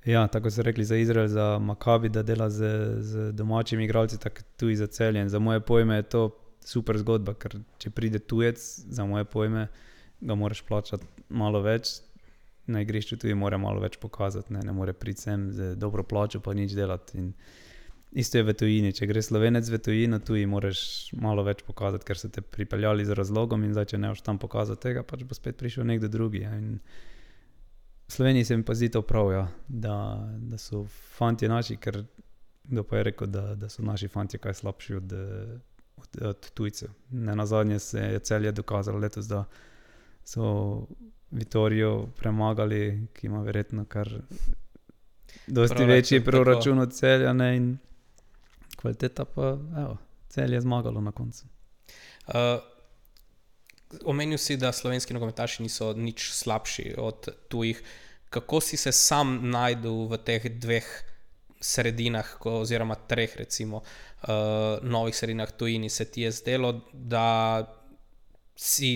ja, tako so rekli za Izrael, za Makabi, da dela z domačimi igralci, tako tudi za Celje. Za moje pojme je to super zgodba, ker če pride tujec, za moje pojme, ga moraš plačati malo več, na igrišču tudi mora malo več pokazati, ne more priti sem z dobro plačo pa nič delati. In isto je v tujini, če gre Slovenec v tujino, tuji moraš malo več pokazati, ker so te pripeljali z razlogom in zdaj, če ne boš tam pokazati tega, pač bo spet prišel nekdo drugi. In v Sloveniji se mi pa zdi to prav, ja, da so fantje naši, ker kdo pa je rekel, da so naši fantje kaj slabši od tujcev. Ne nazadnje se je Celje dokazalo letos, da so Vitorijo premagali, ki ima verjetno kar dosti večji proračun od Celja, ne, in kvaliteta pa, Celje je zmagalo na koncu. Omenil si, da slovenski nogometaši niso nič slabši od tujih. Kako si se sam najdel v teh dveh sredinah, oziroma treh recimo novih sredinah tujini? Se ti je zdelo, da si,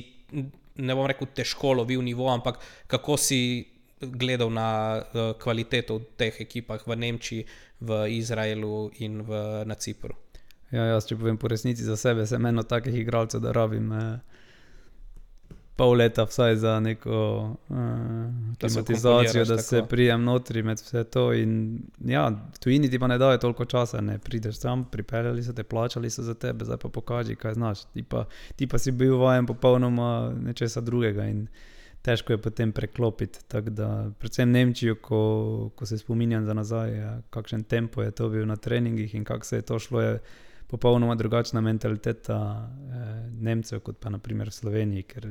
ne bom rekel težko lovil nivo, ampak kako si gledal na kvaliteto v teh ekipah v Nemčiji, v Izraelu in na Cipru? Ja, jaz, če povem po resnici za sebe, sem eno takih igralcev, da rabim pol leta vsaj za neko klimatizacijo, da se prijem notri med vse to. In ja, tujini ti pa ne dajo toliko časa, ne prideš tam, pripeljali so te, plačali so za tebe, zdaj pa pokaži, kaj znaš. Ti pa si bil vajen popolnoma nečesa drugega in težko je potem preklopiti. Tako da, predvsem Nemčijo, ko se spominjam za nazaj, kakšen tempo je to bil na treningih in kako se je to šlo, je popolnoma drugačna mentaliteta Nemcev, kot pa naprimer v Sloveniji, ker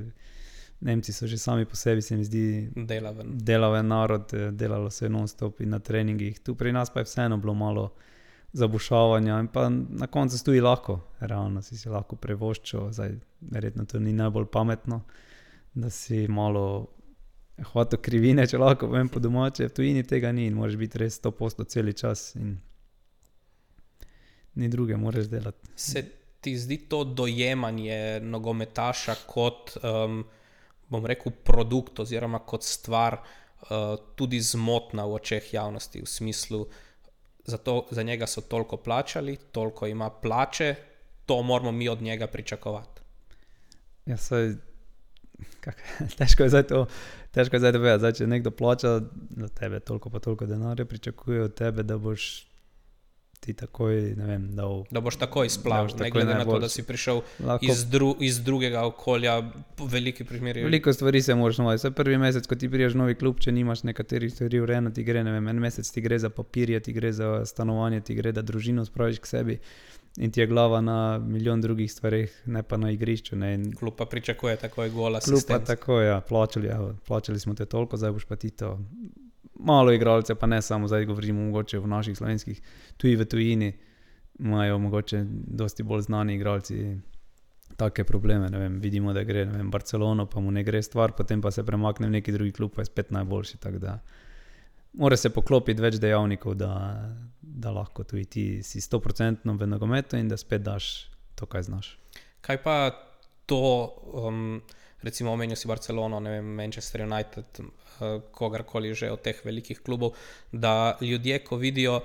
Nemci so že sami po sebi, se mi zdi, delaven narod, delalo se je non-stop in na treningih. Tu pri nas pa je vseeno bilo malo zabušavanja in pa na koncu stoji lahko, realno si lahko prevoščil, zdaj verjetno to ni najbolj pametno, da si malo hvato krivine, če lahko povem po domače, v tujini tega ni in moraš biti res 100% celi čas in ni druge, moraš delati. Se ti zdi to dojemanje nogometaša kot, bom rekel, produkt oziroma kot stvar tudi zmotna v očeh javnosti, v smislu, za njega so toliko plačali, toliko ima plače, to moramo mi od njega pričakovati. Ja, saj, težko je zdaj to povedati. Zdaj, če nekdo plača za tebe toliko pa toliko denarja, pričakuje od tebe, da boš ti takoj, ne vem, da boš takoj splavil, ne glede na to, da si prišel iz drugega okolja, v veliki primeri. Veliko stvari se moraš novati. Vse prvi mesec, ko ti priješ v novi klub, če nimaš nekaterih stvari urejeno, ti gre, ne vem, en mesec ti gre za papirje, ti gre za stanovanje, ti gre, da družino spraviš k sebi in ti je glava na milijon drugih stvareh, ne pa na igrišču. Ne. Klub pa pričakuje takoj gol asistenc. Klub pa takoj, ja, plačali smo te toliko, zdaj boš pa ti to. Malo igralce, pa ne samo, zdaj govorimo mogoče v naših slovenskih, tuji v tujini imajo mogoče dosti bolj znani igralci take probleme, ne vem, vidimo, da gre, ne vem, Barcelono, pa mu ne gre stvar, potem pa se premakne v neki drugi klub, pa je spet najboljši, tako da mora se poklopiti več dejavnikov, da lahko tudi ti si 100% v nogometu in da spet daš to, kaj znaš. Kaj pa to, recimo omenil si Barcelono, ne vem, Manchester United, kogarkoli že od teh velikih klubov, da ljudje, ko vidijo,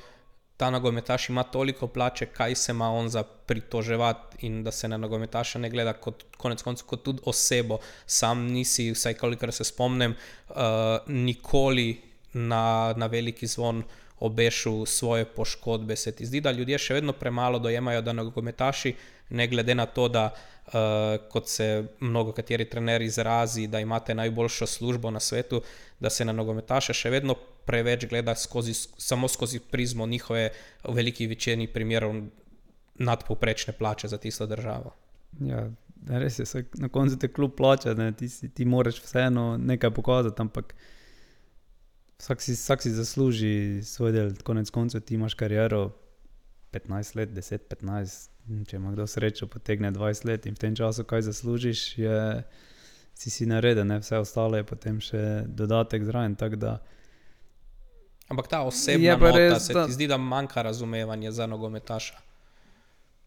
ta nogometaš ima toliko plače, kaj se ima on za pritoževati in da se na nogometaša ne gleda kot konec koncev kot tudi osebo. Sam nisi, vsaj kolikor se spomnim, nikoli na veliki zvon obešil svoje poškodbe. Se ti zdi, da ljudje še vedno premalo dojemajo, da nogometaši, ne glede na to, da kot se mnogo kateri trener izrazi, da imate najboljšo službo na svetu, da se na nogometaše še vedno preveč gleda samo skozi prizmo njihove v veliki večini primerov nadpovprečne plače za tisto državo. Ja, res je, na koncu te klub plača, ti moraš vseeno nekaj pokazati, ampak vsak si zasluži svoj del, konec koncev ti imaš kariero 15 let, 10, 15, če ima kdo srečo, potegne 20 let in v tem času, kaj zaslužiš, si nareden, vse ostalo je potem še dodatek zraven, tako da. Ampak ta osebna nota, se ti zdi, da manjka razumevanje za nogometaša?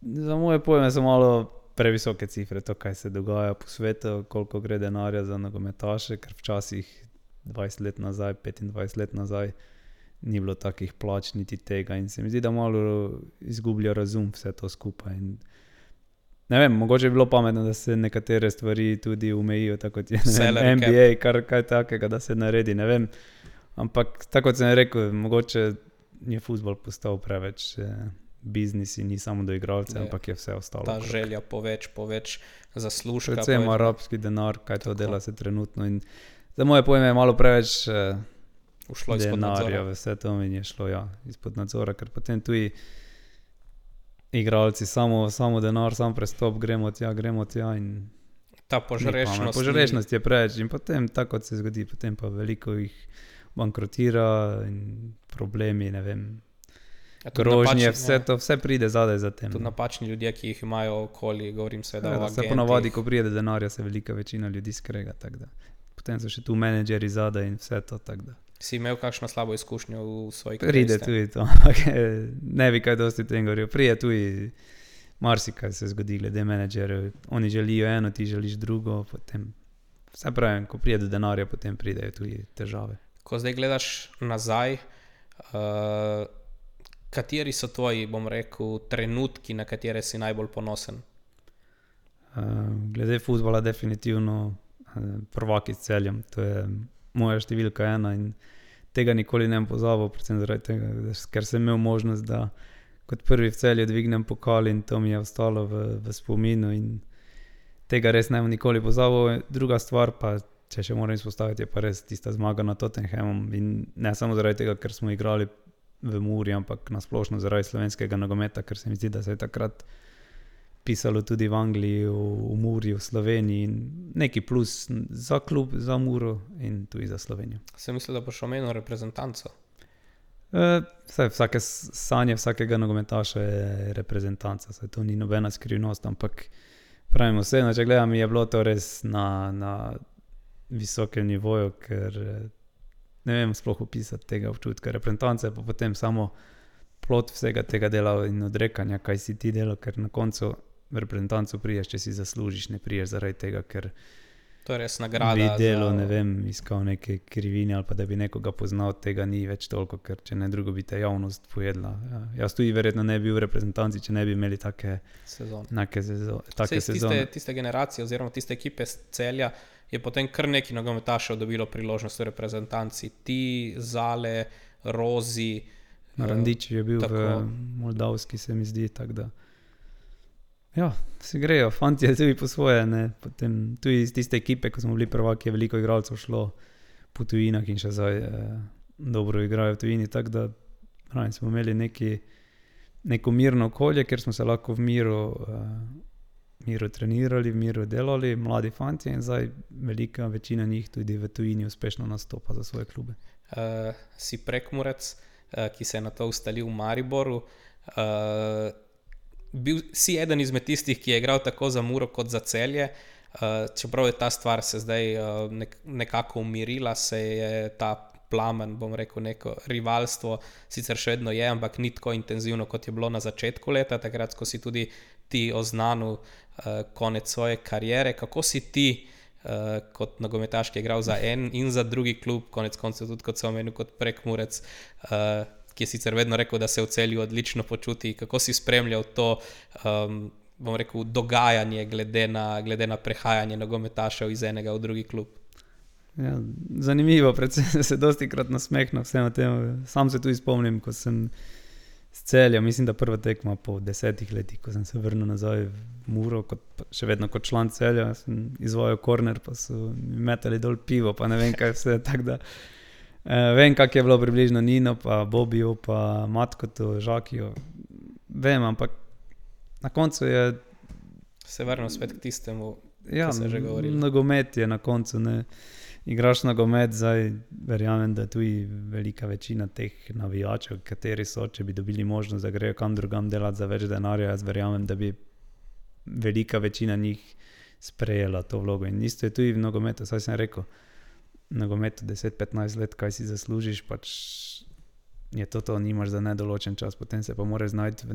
Za moje pojme so malo previsoke cifre, to, kaj se dogaja po svetu, koliko gre denarja za nogometaše, ker včasih 20 let nazaj, 25 let nazaj ni bilo takih plač, niti tega in se mi zdi, da malo izgublja razum vse to skupaj. In ne vem, mogoče bi bilo pametno, da se nekatere stvari tudi omejijo, tako kot je NBA, kaj takega, da se naredi, ne vem. Ampak tako kot sem rekel, mogoče je fuzbol postal preveč biznis in ni samo do igralcev, ampak je vse ostalo. Ta želja po več zaslužka. Predvsem arabski denar, kaj to dela se trenutno in za moje pojme je malo preveč denarja, vse to mi je šlo izpod nadzora, ker potem tudi igralci samo denar, sam prestop, gremo tja in ta požrešnost je preveč in potem tako se zgodi, potem pa veliko jih bankrotira in problemi, ne vem, grožnje, vse pride zadaj za tem. Tudi napačni ljudje, ki jih imajo okoli, govorim seveda o agentih. Se ponavadi, ko pride denarja, se velika večina ljudi skrega, tako da. Potem so še tu menedžeri zadaj in vse to, tako da. Si imel kakšno slabo izkušnjo v svoji karieri? Pride tudi to, ampak ne bi kaj dosti tem govoril. Pride tudi marsikaj se zgodi glede menedžerjev. Oni želijo eno, ti želiš drugo, potem vse pravim, ko pride do denarja, potem pridejo tudi težave. Ko zdaj gledaš nazaj, kateri so tvoji, bom rekel, trenutki, na katere si najbolj ponosen? Glede fuzbola definitivno prvaki s Celjem, to je moja številka 1 in tega nikoli ne bom pozabil, predvsem zaradi tega, ker sem imel možnost, da kot prvi v Celju dvignem pokal in to mi je ostalo v spominu in tega res ne bom nikoli pozabil. Druga stvar pa, če še moram izpostaviti, je pa res tista zmaga nad Tottenhamom in ne samo zaradi tega, ker smo igrali v Muri, ampak nasplošno zaradi slovenskega nogometa, ker se mi zdi, da se je takrat pisalo tudi v Angliji, v Muri, v Sloveniji in neki plus za klub, za Muro in tudi za Slovenijo. Sem mislil, da boš omenil reprezentanco. Vsake sanje vsakega nogometaša je reprezentanca, saj to ni nobena skrivnost, ampak pravim vseeno, če gledam, je bilo to res na visokem nivoju, ker ne vem sploh opisati tega občutka. Reprezentanca je pa potem samo plod vsega tega dela in odrekanja, kaj si ti delal, ker na koncu v reprezentancu priješ, če si zaslužiš, ne priješ zaradi tega, ker to je res nagrada bi delo, ne vem, iskal neke krivine ali pa da bi nekoga poznal, tega ni več toliko, ker če ne drugo bi te javnost pojedla. Ja. Jaz tudi verjetno ne bi bil v reprezentanci, če ne bi imeli take sezone. Tiste generacije oziroma tiste ekipe z Celja je potem kar neki nogometašev dobilo priložnost v reprezentanci. Ti, Zale, Rozi. Randič je bil v Moldavski, se mi zdi, tako da. Ja, se grejo, fanti je tudi po svoje, ne, potem tudi iz tiste ekipe, ko smo bili prvaki, je veliko igralcev šlo po tujinah in še zdaj dobro igrajo v tujini, tako da smo imeli neko mirno okolje, kjer smo se lahko v miru trenirali, v miru delali, mladi fanti in zdaj velika večina njih tudi v tujini uspešno nastopa za svoje klube. Si Prekmurec, ki se je na to ustalil v Mariboru, si eden izmed tistih, ki je igral tako za Muro kot za Celje, čeprav je ta stvar se zdaj nekako umirila, se je ta plamen, bom rekel, neko rivalstvo, sicer še vedno je, ampak ni tako intenzivno, kot je bilo na začetku leta, takrat, ko si tudi ti oznanil konec svoje kariere. Kako si ti kot nogometaš, ki je igral za en in za drugi klub, konec koncev tudi kot sem omenil, kot Prekmurec, ki je sicer vedno rekel, da se v Celju odlično počuti. Kako si spremljal to, bom rekel, dogajanje glede na prehajanje nogometašev iz enega v drugi klub? Ja, zanimivo, predvsem se dostikrat nasmehnem vsem tem. Sam se tudi spomnim, ko sem z Celja, mislim, da prva tekma po 10 letih, ko sem se vrnil nazaj v Muro, še vedno kot član Celja, sem izvajal korner, pa so mi metali dol pivo, pa ne vem kaj vse, tako da vem, kak je bilo približno Nino, pa Bobiju, pa Matkotu, Žakiju. Vem, ampak na koncu je... Se vrnil spet k tistemu, ki se že govorilo. Nogomet je na koncu, ne. Igraš nogomet, zdaj verjamem, da tudi velika večina teh navijačev, kateri so, če bi dobili možnost, da grejo kam drugam delati za več denarja, jaz verjamem, da bi velika večina njih sprejela to vlogo. In isto je tudi v nogometu, saj sem rekel, nogometu 10-15 let, kaj si zaslužiš, pač je to, nimaš za nedoločen čas, potem se pa moraš znajti v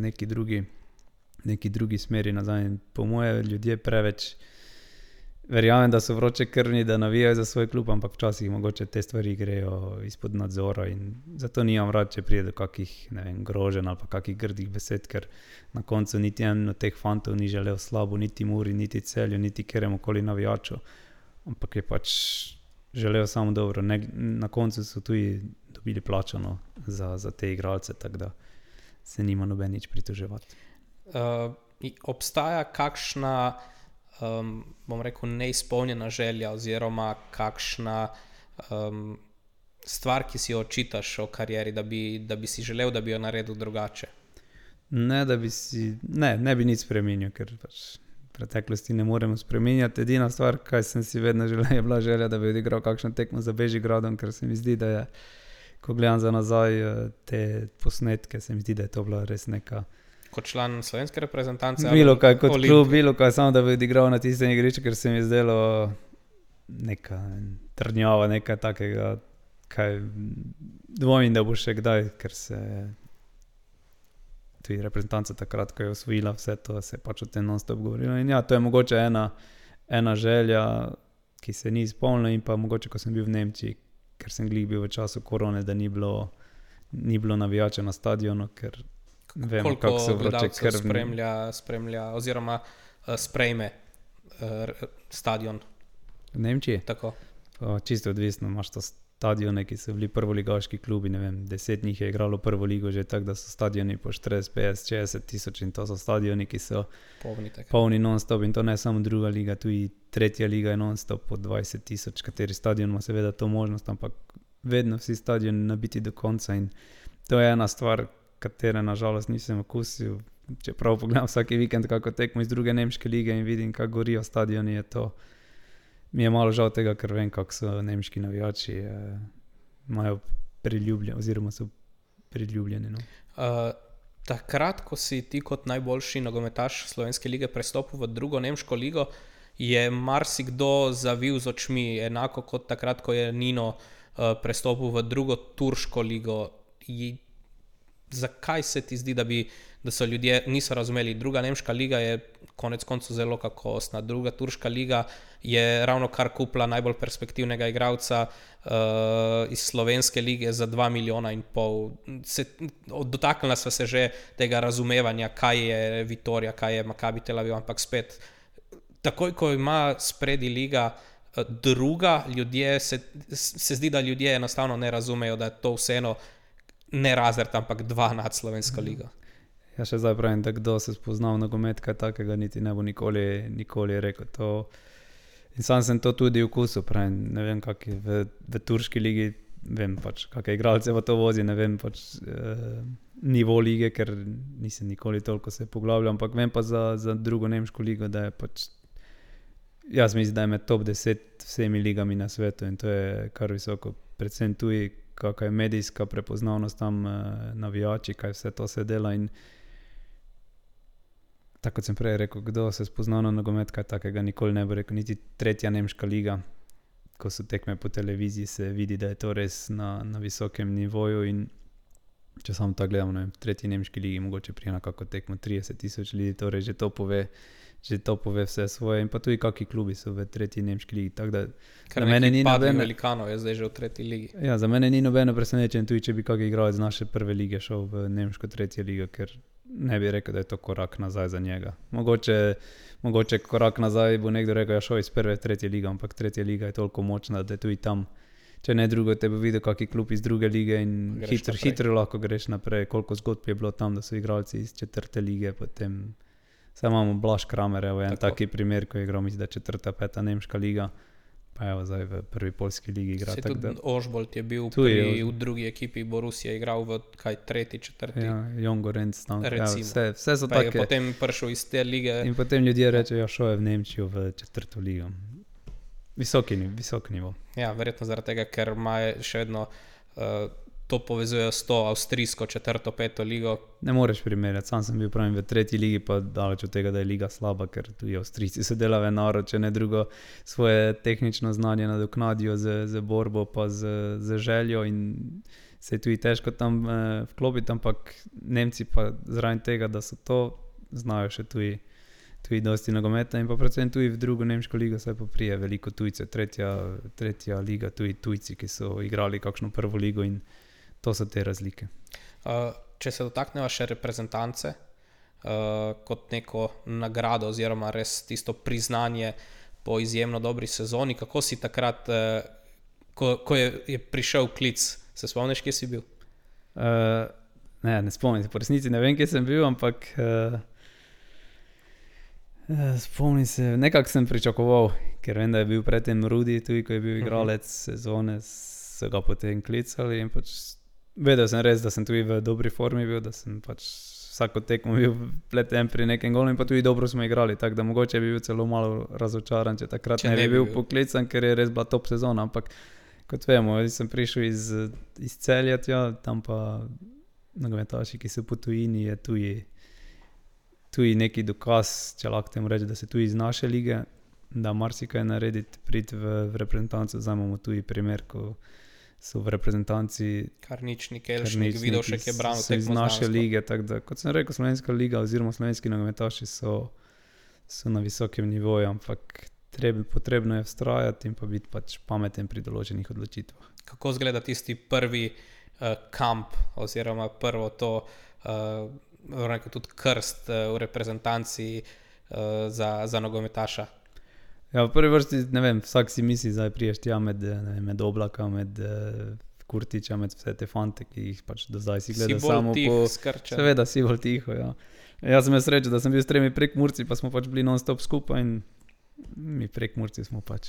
neki drugi smeri nazaj. In po moje ljudje preveč verjamem, da so vroče krvni, da navijajo za svoj klub, ampak včasih mogoče te stvari grejo izpod nadzora in zato nimam rad, če prije do kakih, ne vem, groženj ali pa kakih grdih besed, ker na koncu niti en od teh fantov ni želel slabo, niti Muri, niti Celju, niti kjeremukoli navijaču, ampak je pač želel samo dobro. Na koncu so tudi dobili plačano za te igralce, tako da se nima noben nič pritoževati. Obstaja kakšna, bom rekel, neizpolnjena želja oziroma kakšna stvar, ki si jo očitaš o karieri, da bi si želel, da bi jo naredil drugače? Ne bi nič spremenil, ker pač preteklosti ne moremo spremenjati. Edina stvar, kaj sem si vedno želel, je bila želja, da bi odigral kakšno tekmo za Bežigradom, ker se mi zdi, da je, ko gledam za nazaj te posnetke, se mi zdi, da je to bila res neka... Kot član slovenske reprezentance? Bilo kaj kot klub, bilo kaj, samo da bi odigral na tistem igrišču, ker se mi zdelo neka trdnjava, nekaj takega, kaj dvomim, da bo še kdaj, ker se tudi reprezentanca takrat, ko je osvojila vse to, se pač o tem non-stop govorilo. In ja, to je mogoče ena želja, ki se ni izpolnila, in pa mogoče, ko sem bil v Nemčiji, ker sem glih bil v času korone, da ni bilo navijača na stadionu, ker vemo, kako so vroče krvni. Spremlja oziroma sprejme stadion. V Nemčiji? Tako. Čisto odvisno, imaš to stadione, ki so bili prvoligaški klubi, ne vem, 10 njih je igralo prvo ligo že tako, da so stadioni po 40, 50, 60 tisoč in to so stadioni, ki so polni non-stop in to ne samo druga liga, tudi tretja liga je non-stop po 20 tisoč, kateri stadion ima seveda to možnost, ampak vedno vsi stadioni nabiti do konca in to je ena stvar, katere nažalost nisem okusil. čeprav pogledam vsaki vikend kako tekmo iz druge nemške lige in vidim, kako gorijo stadioni, mi je malo žal tega, ker vem, kako so nemški navijači, imajo oziroma so priljubljeni. No. Takrat, ko si ti kot najboljši nogometaš slovenske lige prestopil v drugo nemško ligo, je marsikdo zavil z očmi, enako kot takrat, ko je Nino prestopil v drugo turško ligo. Zakaj se ti zdi, da so ljudje niso razumeli? Druga nemška liga je konec koncev zelo kakovostna. Druga turška liga je ravno kar kupila najbolj perspektivnega igralca iz slovenske lige za 2,5 milijona. Dotaknila sva se že tega razumevanja, kaj je Vitorija, kaj je Maccabi Tel Aviv, ampak spet, takoj ko ima spredi liga druga, se zdi, da ljudje enostavno ne razumejo, da je to vseeno ne razred, ampak 2 nad slovensko ligo. Ja, še zdaj pravim, da kdo se spozna v nogomet, kaj takega niti ne bo nikoli rekel to. In sam sem to tudi vkusil, pravim, ne vem, kak je v turški ligi, vem pač, kakšne igralce pa to vozi, ne vem pač nivo lige, ker nisem nikoli toliko se poglabljal, ampak vem pa za drugo nemško ligo, da je pač, jaz mislim, da je med top 10 vsemi ligami na svetu in to je kar visoko, predvsem tuji, kakva je medijska prepoznavnost tam, navijači, kaj vse to se dela in tako kot sem prej rekel, kdo se spozna na nogomet, kaj takega nikoli ne bo rekel, niti tretja nemška liga, ko so tekme po televiziji, se vidi, da je to res na visokem nivoju in če samo tako gledamo, ne vem, v tretji nemški ligi mogoče prije na kako tekmo 30,000 ljudi, torej že to pove vse svoje in pa tudi kakvi klubi so v tretji nemški ligi, tako da za mene ni nobeno velikanov je zdaj že v tretji ligi. Ja, za mene ni nobeno presenečenje tudi, če bi kakšen igralec z naše prve lige šel v nemško tretjo ligo, ker ne bi rekel, da je to korak nazaj za njega. Mogoče korak nazaj bo nekdo rekel, ja šel iz prve v tretjo ligo, ampak tretja liga je toliko močna, da je tudi tam, če ne drugo, te bo videl kakšen klub iz druge lige in hitro lahko greš naprej, koliko zgodb je bilo tam, da so igralci iz četrte lige, potem Saj imamo Blaž Kramer, evo, en taki primer, ko je igral, mislim, da je 4., 5. nemška liga, pa evo, zdaj v prvi poljski ligi igra. Se tudi Ožbolt je bil v drugi ekipi Borussia, igral v 3., 4. Ja, Jon Gorenc tam. Ja, vse so take. Pa je potem prišel iz te lige. In potem ljudje rečejo, ja, šel je v Nemčijo v 4. ligo. Visok nivo. Ja, verjetno zaradi tega, ker ima še vedno to povezujejo s to avstrijsko 4., 5. ligo. Ne moreš primerjati, sam sem bil pravim v 3. ligi, pa daleč od tega, da je liga slaba, ker tudi Avstrijci se delajo narod, če ne drugo svoje tehnično znanje nadoknadijo z borbo, pa z željo in se je tudi težko tam vklopiti, ampak Nemci pa zraven tega, da so to, znajo še tudi dosti nogometa in pa predvsem tudi v drugo nemško ligo se pa prije veliko tujce, tretja liga, tudi tujci, ki so igrali kakšno prvo ligo in to so te razlike. Če se dotakneva še reprezentance kot neko nagrado oziroma res tisto priznanje po izjemno dobri sezoni, kako si takrat, ko je prišel klic, se spomniš, kje si bil? Ne spomnim se, po resnici ne vem, kje sem bil, ampak spomnim se, nekako sem pričakoval, ker vem, da je bil predtem Rudi, tudi ko je bil igralec sezone, so ga potem klicali in pač vedel sem res, da sem tudi v dobri formi bil, da sem pač vsako tekmo bil pleten pri nekem golu in pa tudi dobro smo igrali, tako da mogoče bi bil celo malo razočaran, če takrat ne bi bil poklican, ker je res bila top sezona, ampak kot vemo, sem prišel iz Celja, tam pa nogometaši, ki so po tujini, je tudi neki dokaz, če lahko temu reči, da se tudi iz naše lige, da marsikaj narediti, priti v reprezentanco, zdaj imamo tudi primer, ko so v reprezentanci Karničnik, Elšnik, Vidovšek je branil tekmo iz naše lige, tako da, kot sem rekel, slovenska liga oziroma slovenski nogometaši so na visokem nivoju, ampak potrebno je vztrajati in pa biti pač pameten pri določenih odločitvah. Kako izgleda tisti prvi kamp oziroma prvo to tudi krst v reprezentanci za nogometaša? Ja, v prvi vrsti, ne vem, vsak si misli, zdaj priješ tja med Oblaka, med Kurtiča, med vse te fante, ki jih pač do zdaj si gledal samo po... Skrčen. Seveda, si bolj tiho, ja. Jaz sem imel srečo, da sem bil s 3 Prekmurci, pa smo pač bili non-stop skupaj in mi Prekmurci smo pač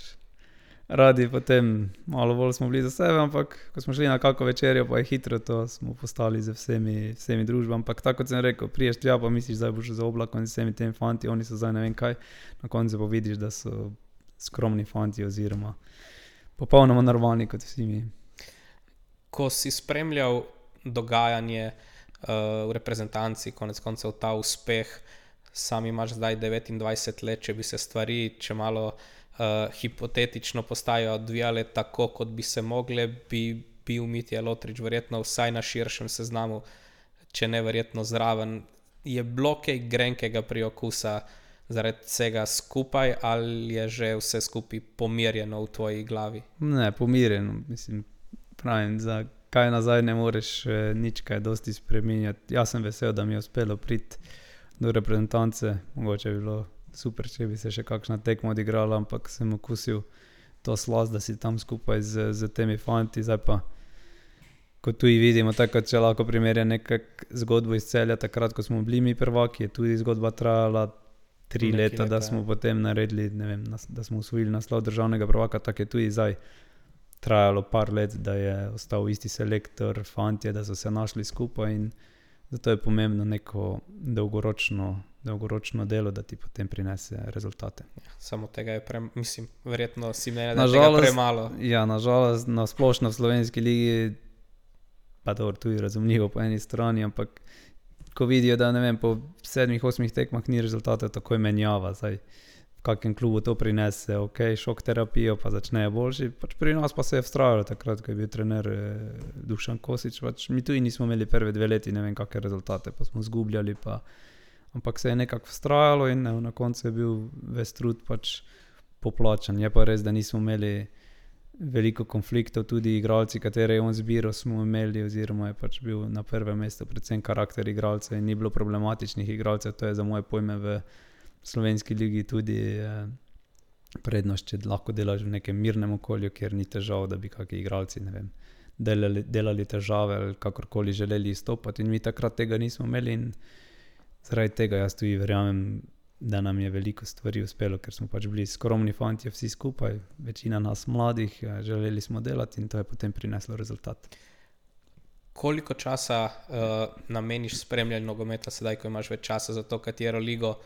radi potem malo bolj smo bili za sebe, ampak ko smo šli na kako večerjo, pa je hitro to, smo postali z vsemi družbami. Ampak tako kot sem rekel, priješ tja, pa misliš, da boš za oblakom z vsemi temi fanti, oni so zdaj ne vem kaj, na koncu pa vidiš, da so skromni fanti oziroma popolnoma normalni kot vsi mi. Ko si spremljal dogajanje v reprezentanci, konec koncev ta uspeh, sam imaš zdaj 29 let, če bi se stvari, če malo hipotetično postajajo odvijale tako, kot bi se mogle, bi bil Mitja Lotrič verjetno vsaj na širšem seznamu, če ne verjetno zraven. Je bilo kaj grenkega priokusa zaradi vsega skupaj ali je že vse skupaj pomirjeno v tvoji glavi? Ne, pomirjeno, mislim, pravim, za kaj nazaj ne moreš nič kaj dosti spreminjati. Jaz sem vesel, da mi je uspelo priti do reprezentance, mogoče bi bilo super, če bi se še kakšna tekma odigrala, ampak sem okusil to slast, da si tam skupaj z temi fanti. Zdaj pa, ko tu vidimo, tako če lahko primerja nekak zgodbo iz Celja, takrat, ko smo bili mi prvaki, je tudi zgodba trajala 3 leta, da smo potem naredili, ne vem, da smo osvojili naslov državnega prvaka, tako je tudi zdaj trajalo par let, da je ostal isti selektor, fantje, da so se našli skupaj in zato je pomembno neko dolgoročno delo, da ti potem prinese rezultate. Ja, samo tega je verjetno si mene, da je tega premalo. Ja, nažalost, na splošno v slovenski ligi, pa dobro, tudi razumljivo po eni strani, ampak ko vidijo, da ne vem, po 7-8 tekmah ni rezultatov, takoj menjava. Zdaj, v kakem klubu to prinese, ok, šok terapijo, pa začnejo boljši. Pač pri nas pa se je vztrajalo takrat, ko je bil trener Dušan Kosič. Pač mi tudi nismo imeli prve 2 leti, ne vem, kakšne rezultate, pa smo zgubljali, ampak se je nekako vztrajalo in na koncu je bil ves trud pač poplačan. Je pa res, da nismo imeli veliko konfliktov, tudi igralci, katere je on zbiral, smo imeli, oziroma je pač bil na prvem mestu predvsem karakter igralca in ni bilo problematičnih igralcev. To je za moje pojme v slovenski ligi tudi prednost, če lahko delaš v nekem mirnem okolju, kjer ni težav, da bi kakšni igralci, ne vem, delali težave ali kakorkoli želeli izstopati. In mi takrat tega nismo imeli in zaradi tega jaz tudi verjamem, da nam je veliko stvari uspelo, ker smo pač bili skromni fantje vsi skupaj, večina nas mladih, želeli smo delati in to je potem prineslo rezultat. Koliko časa nameniš spremljanju nogometa sedaj, ko imaš več časa za to, katero ligo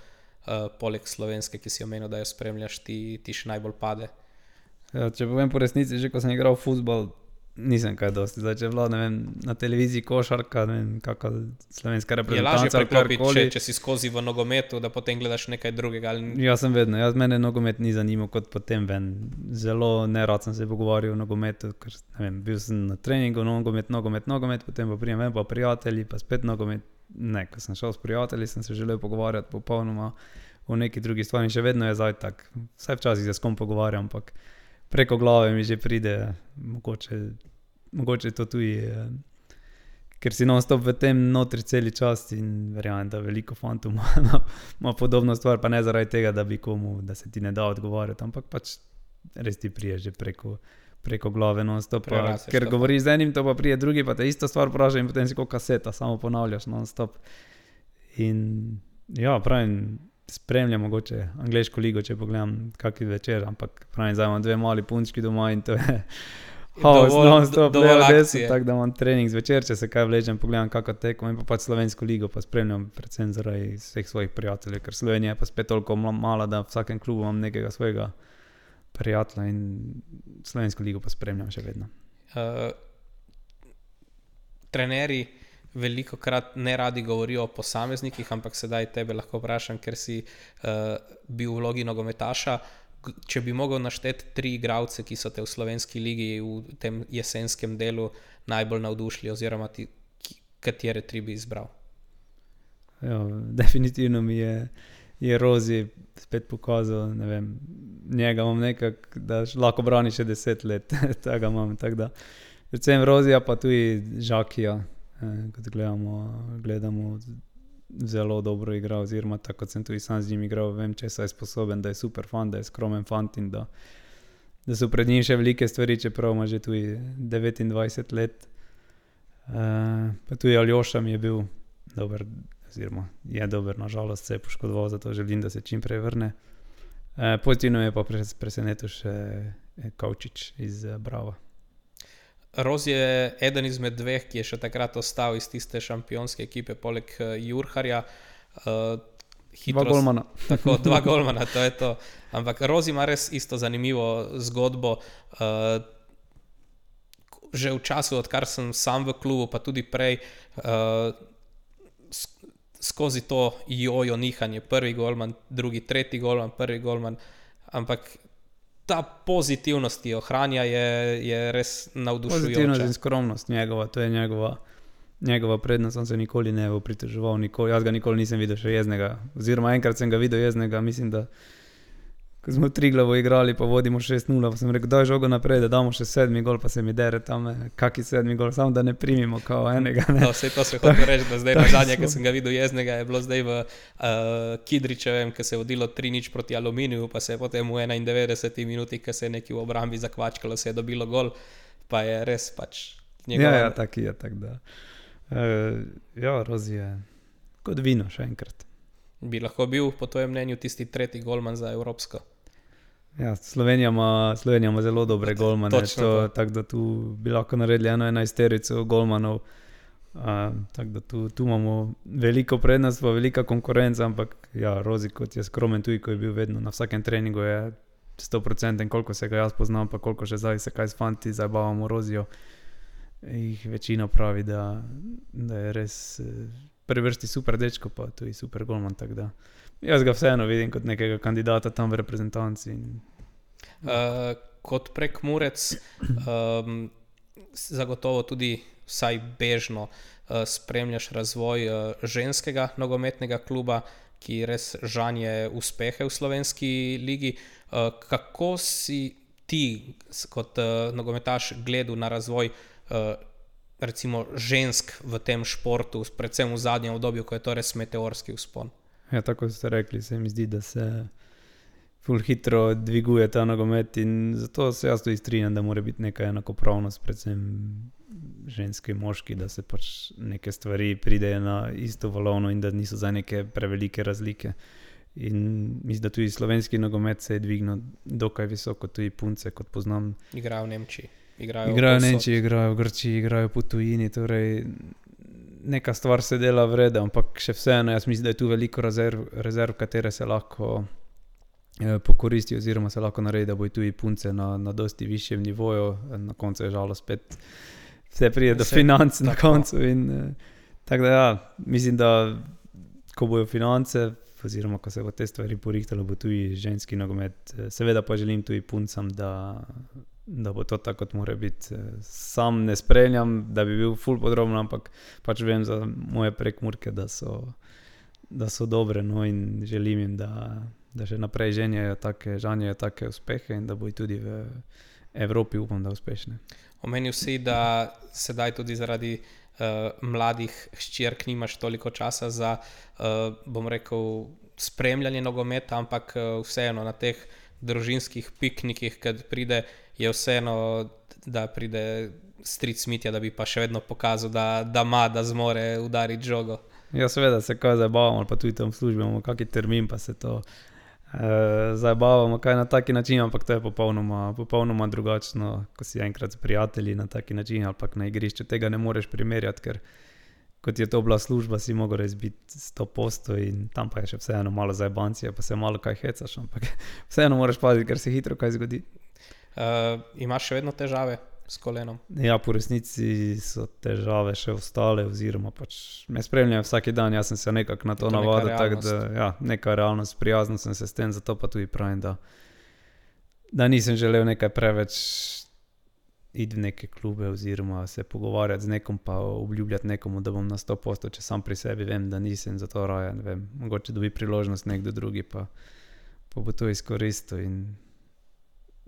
poleg slovenske, ki si omenil, da jo spremljaš, ti še najbolj pade? Ja, če povem po resnici, že ko sem igral futbol, nisem kaj dosti. Zdaj, če je bila, ne vem, na televiziji košarka, ne vem, kakva slovenska reprezentanca. Je lažje preklopiti, če si skozi v nogometu, da potem gledaš nekaj drugega? Ali... Ja, sem vedno. Mene nogomet ni zanimal kot potem ven. Zelo nerad sem se pogovarjal o nogometu, ker ne vem, bil sem na treningu, nogomet, potem pa prijem ven pa prijatelji, pa spet nogomet. Ne, ko sem šel s prijatelji, sem se želel pogovarjati popolnoma o neki drugi stvari in še vedno je zdaj tak. Vsaj včasih se s kom pogovarjam, ampak preko glave mi že pride, mogoče to tudi, ker si non-stop v tem notri celi čas in verjamem, da veliko fantov ima podobno stvar, pa ne zaradi tega, da bi komu, da se ti ne da odgovarjati, ampak pač res ti prije že preko glave non-stop, ker govoriš z enim, to pa prije drugi, pa te isto stvar vpraša in potem si kot kaseta, samo ponavljaš non-stop. In ja, pravim, spremljam mogoče angleško ligo, če pogledam kakšen večer, ampak pravim, zdaj imam 2 mali punčki doma in to je non-stop, tako da imam trening zvečer, če se kaj vležem, pogledam kako tekmo in pa pač slovensko ligo pa spremljam predvsem zaradi vseh svojih prijateljev, ker Slovenija je pa spet toliko mala, da v vsakem klubu imam nekega svojega prijatelja in slovensko ligo pa spremljam še vedno. Trenerji velikokrat ne radi govorijo o posameznikih, ampak sedaj tebe lahko vprašam, ker si bil v vlogi nogometaša. Če bi mogel našteti 3 igralce, ki so te v slovenski ligi v tem jesenskem delu najbolj navdušili, oziroma katere 3 bi izbral? Ja, definitivno mi je Rozi spet pokazal, ne vem, njega imam nekako, da lahko brani še 10 let, tega imam, tako da predvsem Rozija, pa tudi Žakija, kot gledamo zelo dobro igra, oziroma tako kot sem tudi sam z njim igral, vem, če je sposoben, da je super fan, da je skromen fant in da so pred njim še velike stvari, čeprav ima že tudi 29 let. Pa tudi Aljoša mi je bil dober, oziroma je dober, nažalost se je poškodoval, zato želim, da se čim prej vrne. Pozitivno je pa presenetil še Kavčič iz Brava. Roz je eden izmed dveh, ki je še takrat ostal iz tiste šampionske ekipe, poleg Jurharja. Dva golmana. Tako, dva golmana, to je to. Ampak Roz ima res isto zanimivo zgodbo. Že v času, odkar sem sam v klubu, pa tudi prej, skozi to jojo nihanje, prvi golman, drugi, tretji golman, prvi golman, ampak ta pozitivnost, ki jo ohranja, je res navdušujoča. Pozitivnost in skromnost njegova, to je njegova prednost, on se nikoli ne bo pritoževal, jaz ga nikoli nisem videl še jeznega, oziroma enkrat sem ga videl jeznega, mislim, da ko smo v Triglavo igrali, pa vodimo 6-0, pa sem rekel, daj žogo naprej, da damo še 7. gol, pa se mi dere tam, kaki 7. gol, samo da ne primimo kao enega. Ne? No, vse to se hoče reči, da zdaj nazadnje, ko sem ga videl jeznega, je bilo zdaj v Kidričevem, ko se je vodilo 3-0 proti Aluminiju, pa se je potem v 91 minuti, ko se je neki v obrambi zakvačkalo, se je dobilo gol, pa je res pač njegov. Ja, tak je, tak da. Roz je kot vino še enkrat. Bi lahko bil, po tvojem mnenju, tisti tretji golman za Evropsko? Ja, Slovenija ima zelo dobre golmane, tako da tu bi lahko naredili 11 golmanov, tako da tu imamo veliko prednost, velika konkurenca, ampak ja, Rozi kot je skromen tudi, ko je bil vedno na vsakem treningu, je 100%, koliko se ga jaz poznam, pa koliko še zdaj se kaj s fanti zabavamo Rozijo, jih večina pravi, da je res prvi vrsti super dečko, pa tudi super golman, tako da jaz ga vseeno vidim kot nekega kandidata tam v reprezentanci. Kot Prekmurec zagotovo tudi vsaj bežno spremljaš razvoj ženskega nogometnega kluba, ki res žanje uspehe v slovenski ligi. Kako si ti kot nogometaš gledal na razvoj recimo žensk v tem športu, predvsem v zadnjem obdobju, ko je to res meteorski vzpon? Ja, tako ste rekli, se mi zdi, da se ful hitro dviguje ta nogomet in zato se jaz tudi strinjam, da mora biti neka enakopravnost, predvsem ženski, moški, da se pač neke stvari pridejo na isto valovno in da niso za neke prevelike razlike. In mislim, da tudi slovenski nogomet se je dvignil dokaj visoko, tudi punce, kot poznam. Igrajo v Nemčiji. Igrajo v Nemčiji, igrajo v Grčiji, igrajo po tujini, torej neka stvar se dela vrede, ampak še vseeno, jaz mislim, da je tu veliko rezerv, katere se lahko pokoristi oziroma se lahko naredi, da bojo tudi punce na dosti višjem nivoju, na koncu je žalo spet vse pride do financ na koncu in tako da ja, mislim, da ko bojo finance oziroma ko se bo te stvari porihtalo, bo tudi ženski nogomet, seveda pa želim tudi puncam, da bo to tako, kot mora biti. Sam ne spremljam, da bi bil ful podrobno, ampak pač vem za moje Prekmurke, da so dobre, no, in želim jim, da še naprej žanjejo take uspehe in da bojo tudi v Evropi, upam, da uspešne. Omenil si, da sedaj tudi zaradi mladih hčerk nimaš toliko časa za, bom rekel, spremljanje nogometa, ampak vseeno na teh družinskih piknikih, kad pride, je vseeno, da pride stric Mitja, da bi pa še vedno pokazal, da zmore udariti žogo. Ja, seveda se kaj zabavamo, ali pa tudi tam v službi imamo kakšen termin, pa se to zabavamo kaj na taki način, ampak to je popolnoma drugačno, ko si enkrat s prijatelji na taki način, ali pa na igrišču tega ne moreš primerjati, ker kot je to bila služba, si mogel res biti 100% in tam pa je še vseeno malo zajebancije, pa se malo kaj hecaš, ampak vseeno moraš paziti, ker se hitro kaj zgodi. Imaš še vedno težave s kolenom? Ja, po resnici so težave še ostale, oziroma pač me spremljajo vsak dan, jaz sem se nekako na to navadil, tako da ja, neka realnost, prijazno sem se s tem, zato pa tudi pravim, da nisem želel nekaj preveč iti v neke klube oziroma se pogovarjati z nekom, pa obljubljati nekomu, da bom na 100%, če sam pri sebi vem, da nisem, zato raje, ne vem, mogoče dobi priložnost nekdo drugi, pa bo to izkoristil in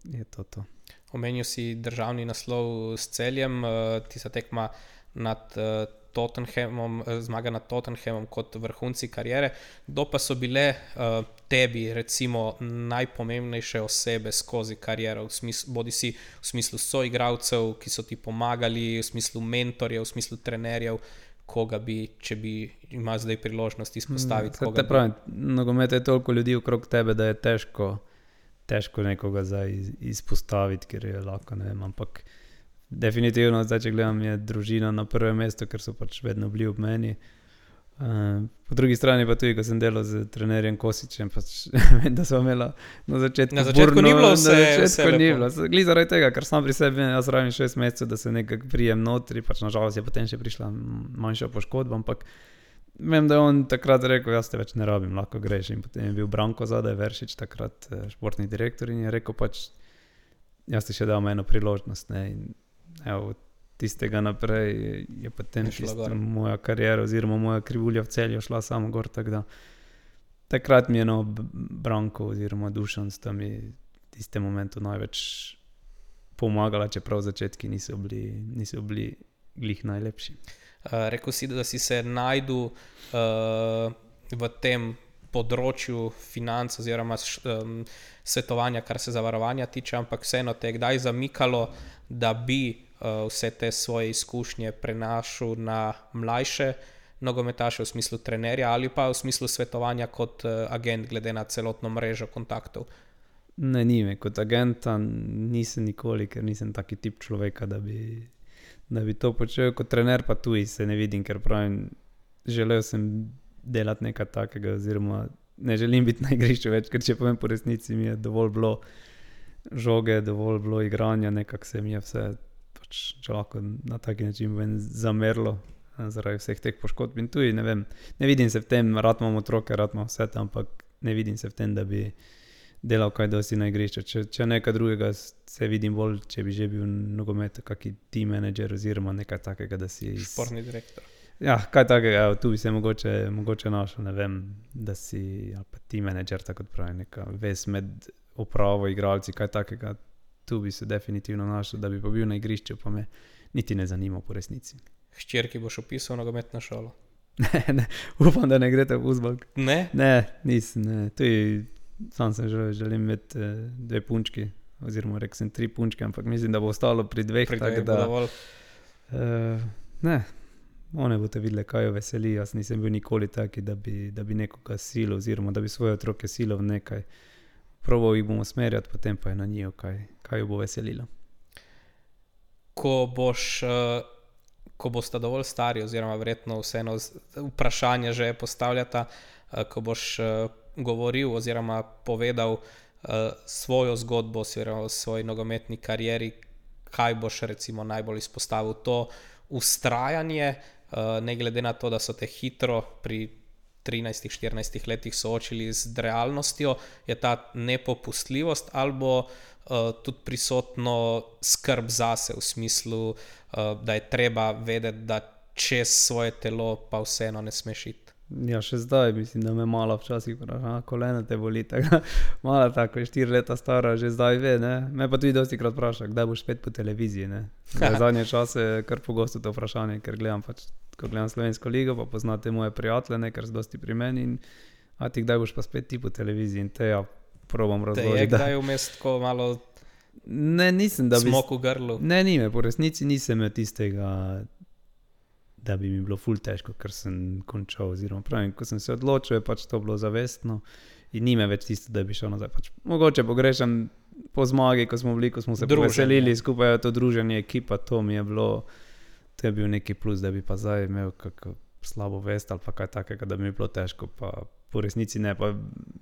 je to. Omenil si državni naslov s Celjem, tista tekma nad Tottenhamom, zmaga nad Tottenhamom kot vrhunci kariere. Kdo pa so bile tebi recimo najpomembnejše osebe skozi kariero, bodi si v smislu soigralcev, ki so ti pomagali, v smislu mentorjev, v smislu trenerjev, koga bi, če bi imel zdaj priložnost izpostaviti? Pravim, nogomet je toliko ljudi okrog tebe, da je težko težko nekoga zdaj izpostaviti, ker je lahko, ne vem, ampak definitivno zdaj, če gledam, je družina na prvem mestu, ker so pač vedno bili ob meni. Po drugi strani pa tudi, ko sem delal z trenerjem Kosičem, pač vem, da smo imela na začetku ni bilo vse ni bilo. Glih zaradi tega, ker sam pri sebi, jaz rabim 6 mesecev, da se nekako prijem notri, pač nažalost je potem še prišla manjša poškodba, ampak vem, da je on takrat rekel, jaz te več ne rabim, lahko greš. In potem je bil Branko zadaj, Veršič, takrat športni direktor, in je rekel pač, jaz ti še dam eno priložnost, ne, in evo, tistega naprej je potem moja karijera oziroma moja krivulja v Celju šla samo gor, tako da takrat mi je Branko oziroma Dušan sta mi v tistem momentu največ pomagala, čeprav začetki niso bili glih najlepši. Rekel si, da si se najdu v tem področju financ oziroma svetovanja, kar se zavarovanja tiče, ampak vseeno te je kdaj zamikalo, da bi vse te svoje izkušnje prenašal na mlajše nogometaše v smislu trenerja ali pa v smislu svetovanja kot agent glede na celotno mrežo kontaktov? Ne, nime. Kot agenta nisem nikoli, ker nisem taki tip človeka, da bi to počel. Kot trener pa tudi se ne vidim, ker pravim, želel sem delati nekaj takega oziroma ne želim biti na igrišču več, ker če povem po resnici, mi je dovolj bilo žoge, dovolj bilo igranja, nekako se mi je vse, pač, če lahko na taki način zamerlo zaradi vseh teh poškodb. In tudi, ne vem, ne vidim se v tem, rad imam otroke, rad imam vse tam, ampak ne vidim se v tem, da bi delal kaj dosti na igrišču. Če nekaj drugega se vidim bolj, če bi že bil nogomet, kaki team manager oziroma nekaj takega, da si... Športni direktor. Ja, kaj takega, tu bi se mogoče našel, ne vem, da si ali pa team manager, tako kot pravi, neka vez med upravo, igralci, kaj takega, tu bi se definitivno našel, da bi pa bil na igrišču, pa me niti ne zanima po resnici. Hčerki boš opisal nogometno šolo? Ne, upam, da ne greste v uzbalk. Ne? Ne, nisem, ne. Tudi sam sem želim imeti 2 punčki, oziroma rekel sem 3 punčke, ampak mislim, da bo ostalo pri 2, tako da... Ne, one boste videli, kaj jo veseli. Jaz nisem bil nikoli taki, da bi nekoga silil, oziroma da bi svoje otroke silil v nekaj. Probal jih bom usmerjati, potem pa je na njo, kaj jo bo veselilo. Ko boste dovolj stari, oziroma verjetno vseeno vprašanje že postavljata, ko boš govoril oziroma povedal svojo zgodbo oziroma svoji nogometni karieri, kaj boš recimo najbolj izpostavil? To vztrajanje, ne glede na to, da so te hitro pri 13-14 letih soočili z realnostjo, je ta nepopustljivost ali bo tudi prisotno skrb zase v smislu, da je treba vedeti, da čez svoje telo pa vseeno ne smeš iti? Ja, še zdaj mislim, da me malo včasih vpraša, kolena te boli, tako malo tako, 4 leta stara, že zdaj ve, ne. Me pa tudi dosti krat vpraša, kdaj boš spet po televiziji, ne. Zadnje čase kar pogosto to vprašanje, ker gledam pač, ko gledam Slovensko ligo, pa poznate moje prijatelje, ne, ker so dosti pri meni in a ti kdaj boš pa spet ti po televiziji in te ja probam razložiti. Te je kdaj vmes tako malo ne, nisem, da bi... smok v grlu? Ne, nime, po resnici nisem imel tistega, da bi mi bilo ful težko, ker sem končal, oziroma pravim, ko sem se odločil, je pač to bilo zavestno in nime več tisto, da bi šel nazaj. Pač, mogoče pogrešam po zmagi, ko smo se poveselili skupaj, to druženje, ekipa, to mi je bilo, to je bil neki plus, da bi pa zdaj imel kako slabo vest ali pa kaj takega, da bi mi bilo težko, pa po resnici ne, pa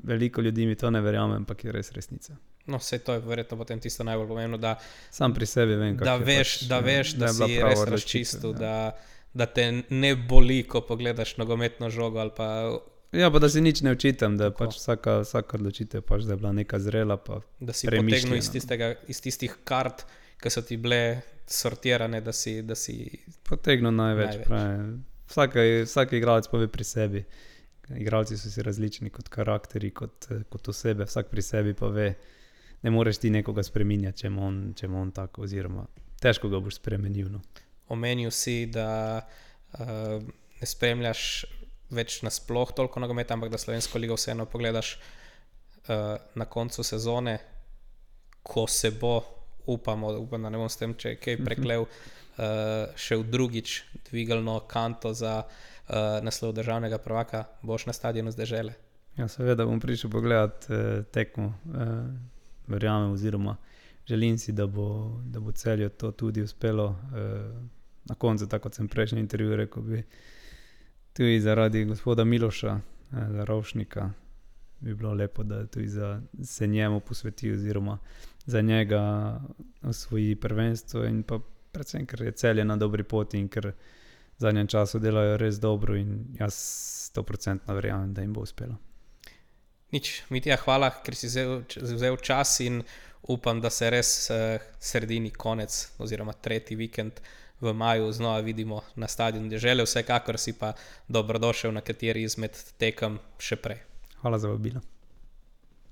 veliko ljudi mi to ne verjame, ampak je res resnica. No, vse to je verjetno potem tisto najbolj pomembno, da sam pri sebi vem, da veš, da si res razčistil, da te ne boli, ko pogledaš nogometno žogo ali pa... Ja, pa da si nič ne očitam, da pač vsaka odločitev pač, da je bila neka zrela pa premišljena. Da si potegnil iz tistih kart, ki so ti bile sortirane, da si... Potegnil največ. Vsak igralec pa ve pri sebi. Igralci so si različni kot karakteri, kot osebe, vsak pri sebi pa ve, ne moreš ti nekoga spreminjati, če ima on tako, oziroma težko ga boš spremenil. No. Omenil si, da ne spremljaš več nasploh toliko nogometa, ampak da Slovensko ligo vseeno pogledaš na koncu sezone, ko se bo, upam, da ne bom s tem, če kaj preklel, še v drugič dvigalno kanto za naslov državnega prvaka, boš na stadionu z Dežele? Ja, seveda bom prišel pogledat tekmo verjamem oziroma želim si, da bo Celju to tudi uspelo. Na koncu, tako kot sem prejšnji intervju rekel, bi tudi zaradi gospoda Miloša Ravšnika bi bilo lepo, da tudi se njemu posveti oziroma za njega osvoji prvenstvo in pa predvsem, ker je Celje na dobri poti in ker v zadnjem času delajo res dobro in jaz 100% verjamem, da jim bo uspelo. Nič, Mitja, hvala, ker si vzel čas in upam, da se res sredini konec oziroma tretji vikend v maju znova vidimo na stadionu Dežele. Vsekakor si pa dobrodošel na kateri izmed tekem še prej. Hvala za vabilo.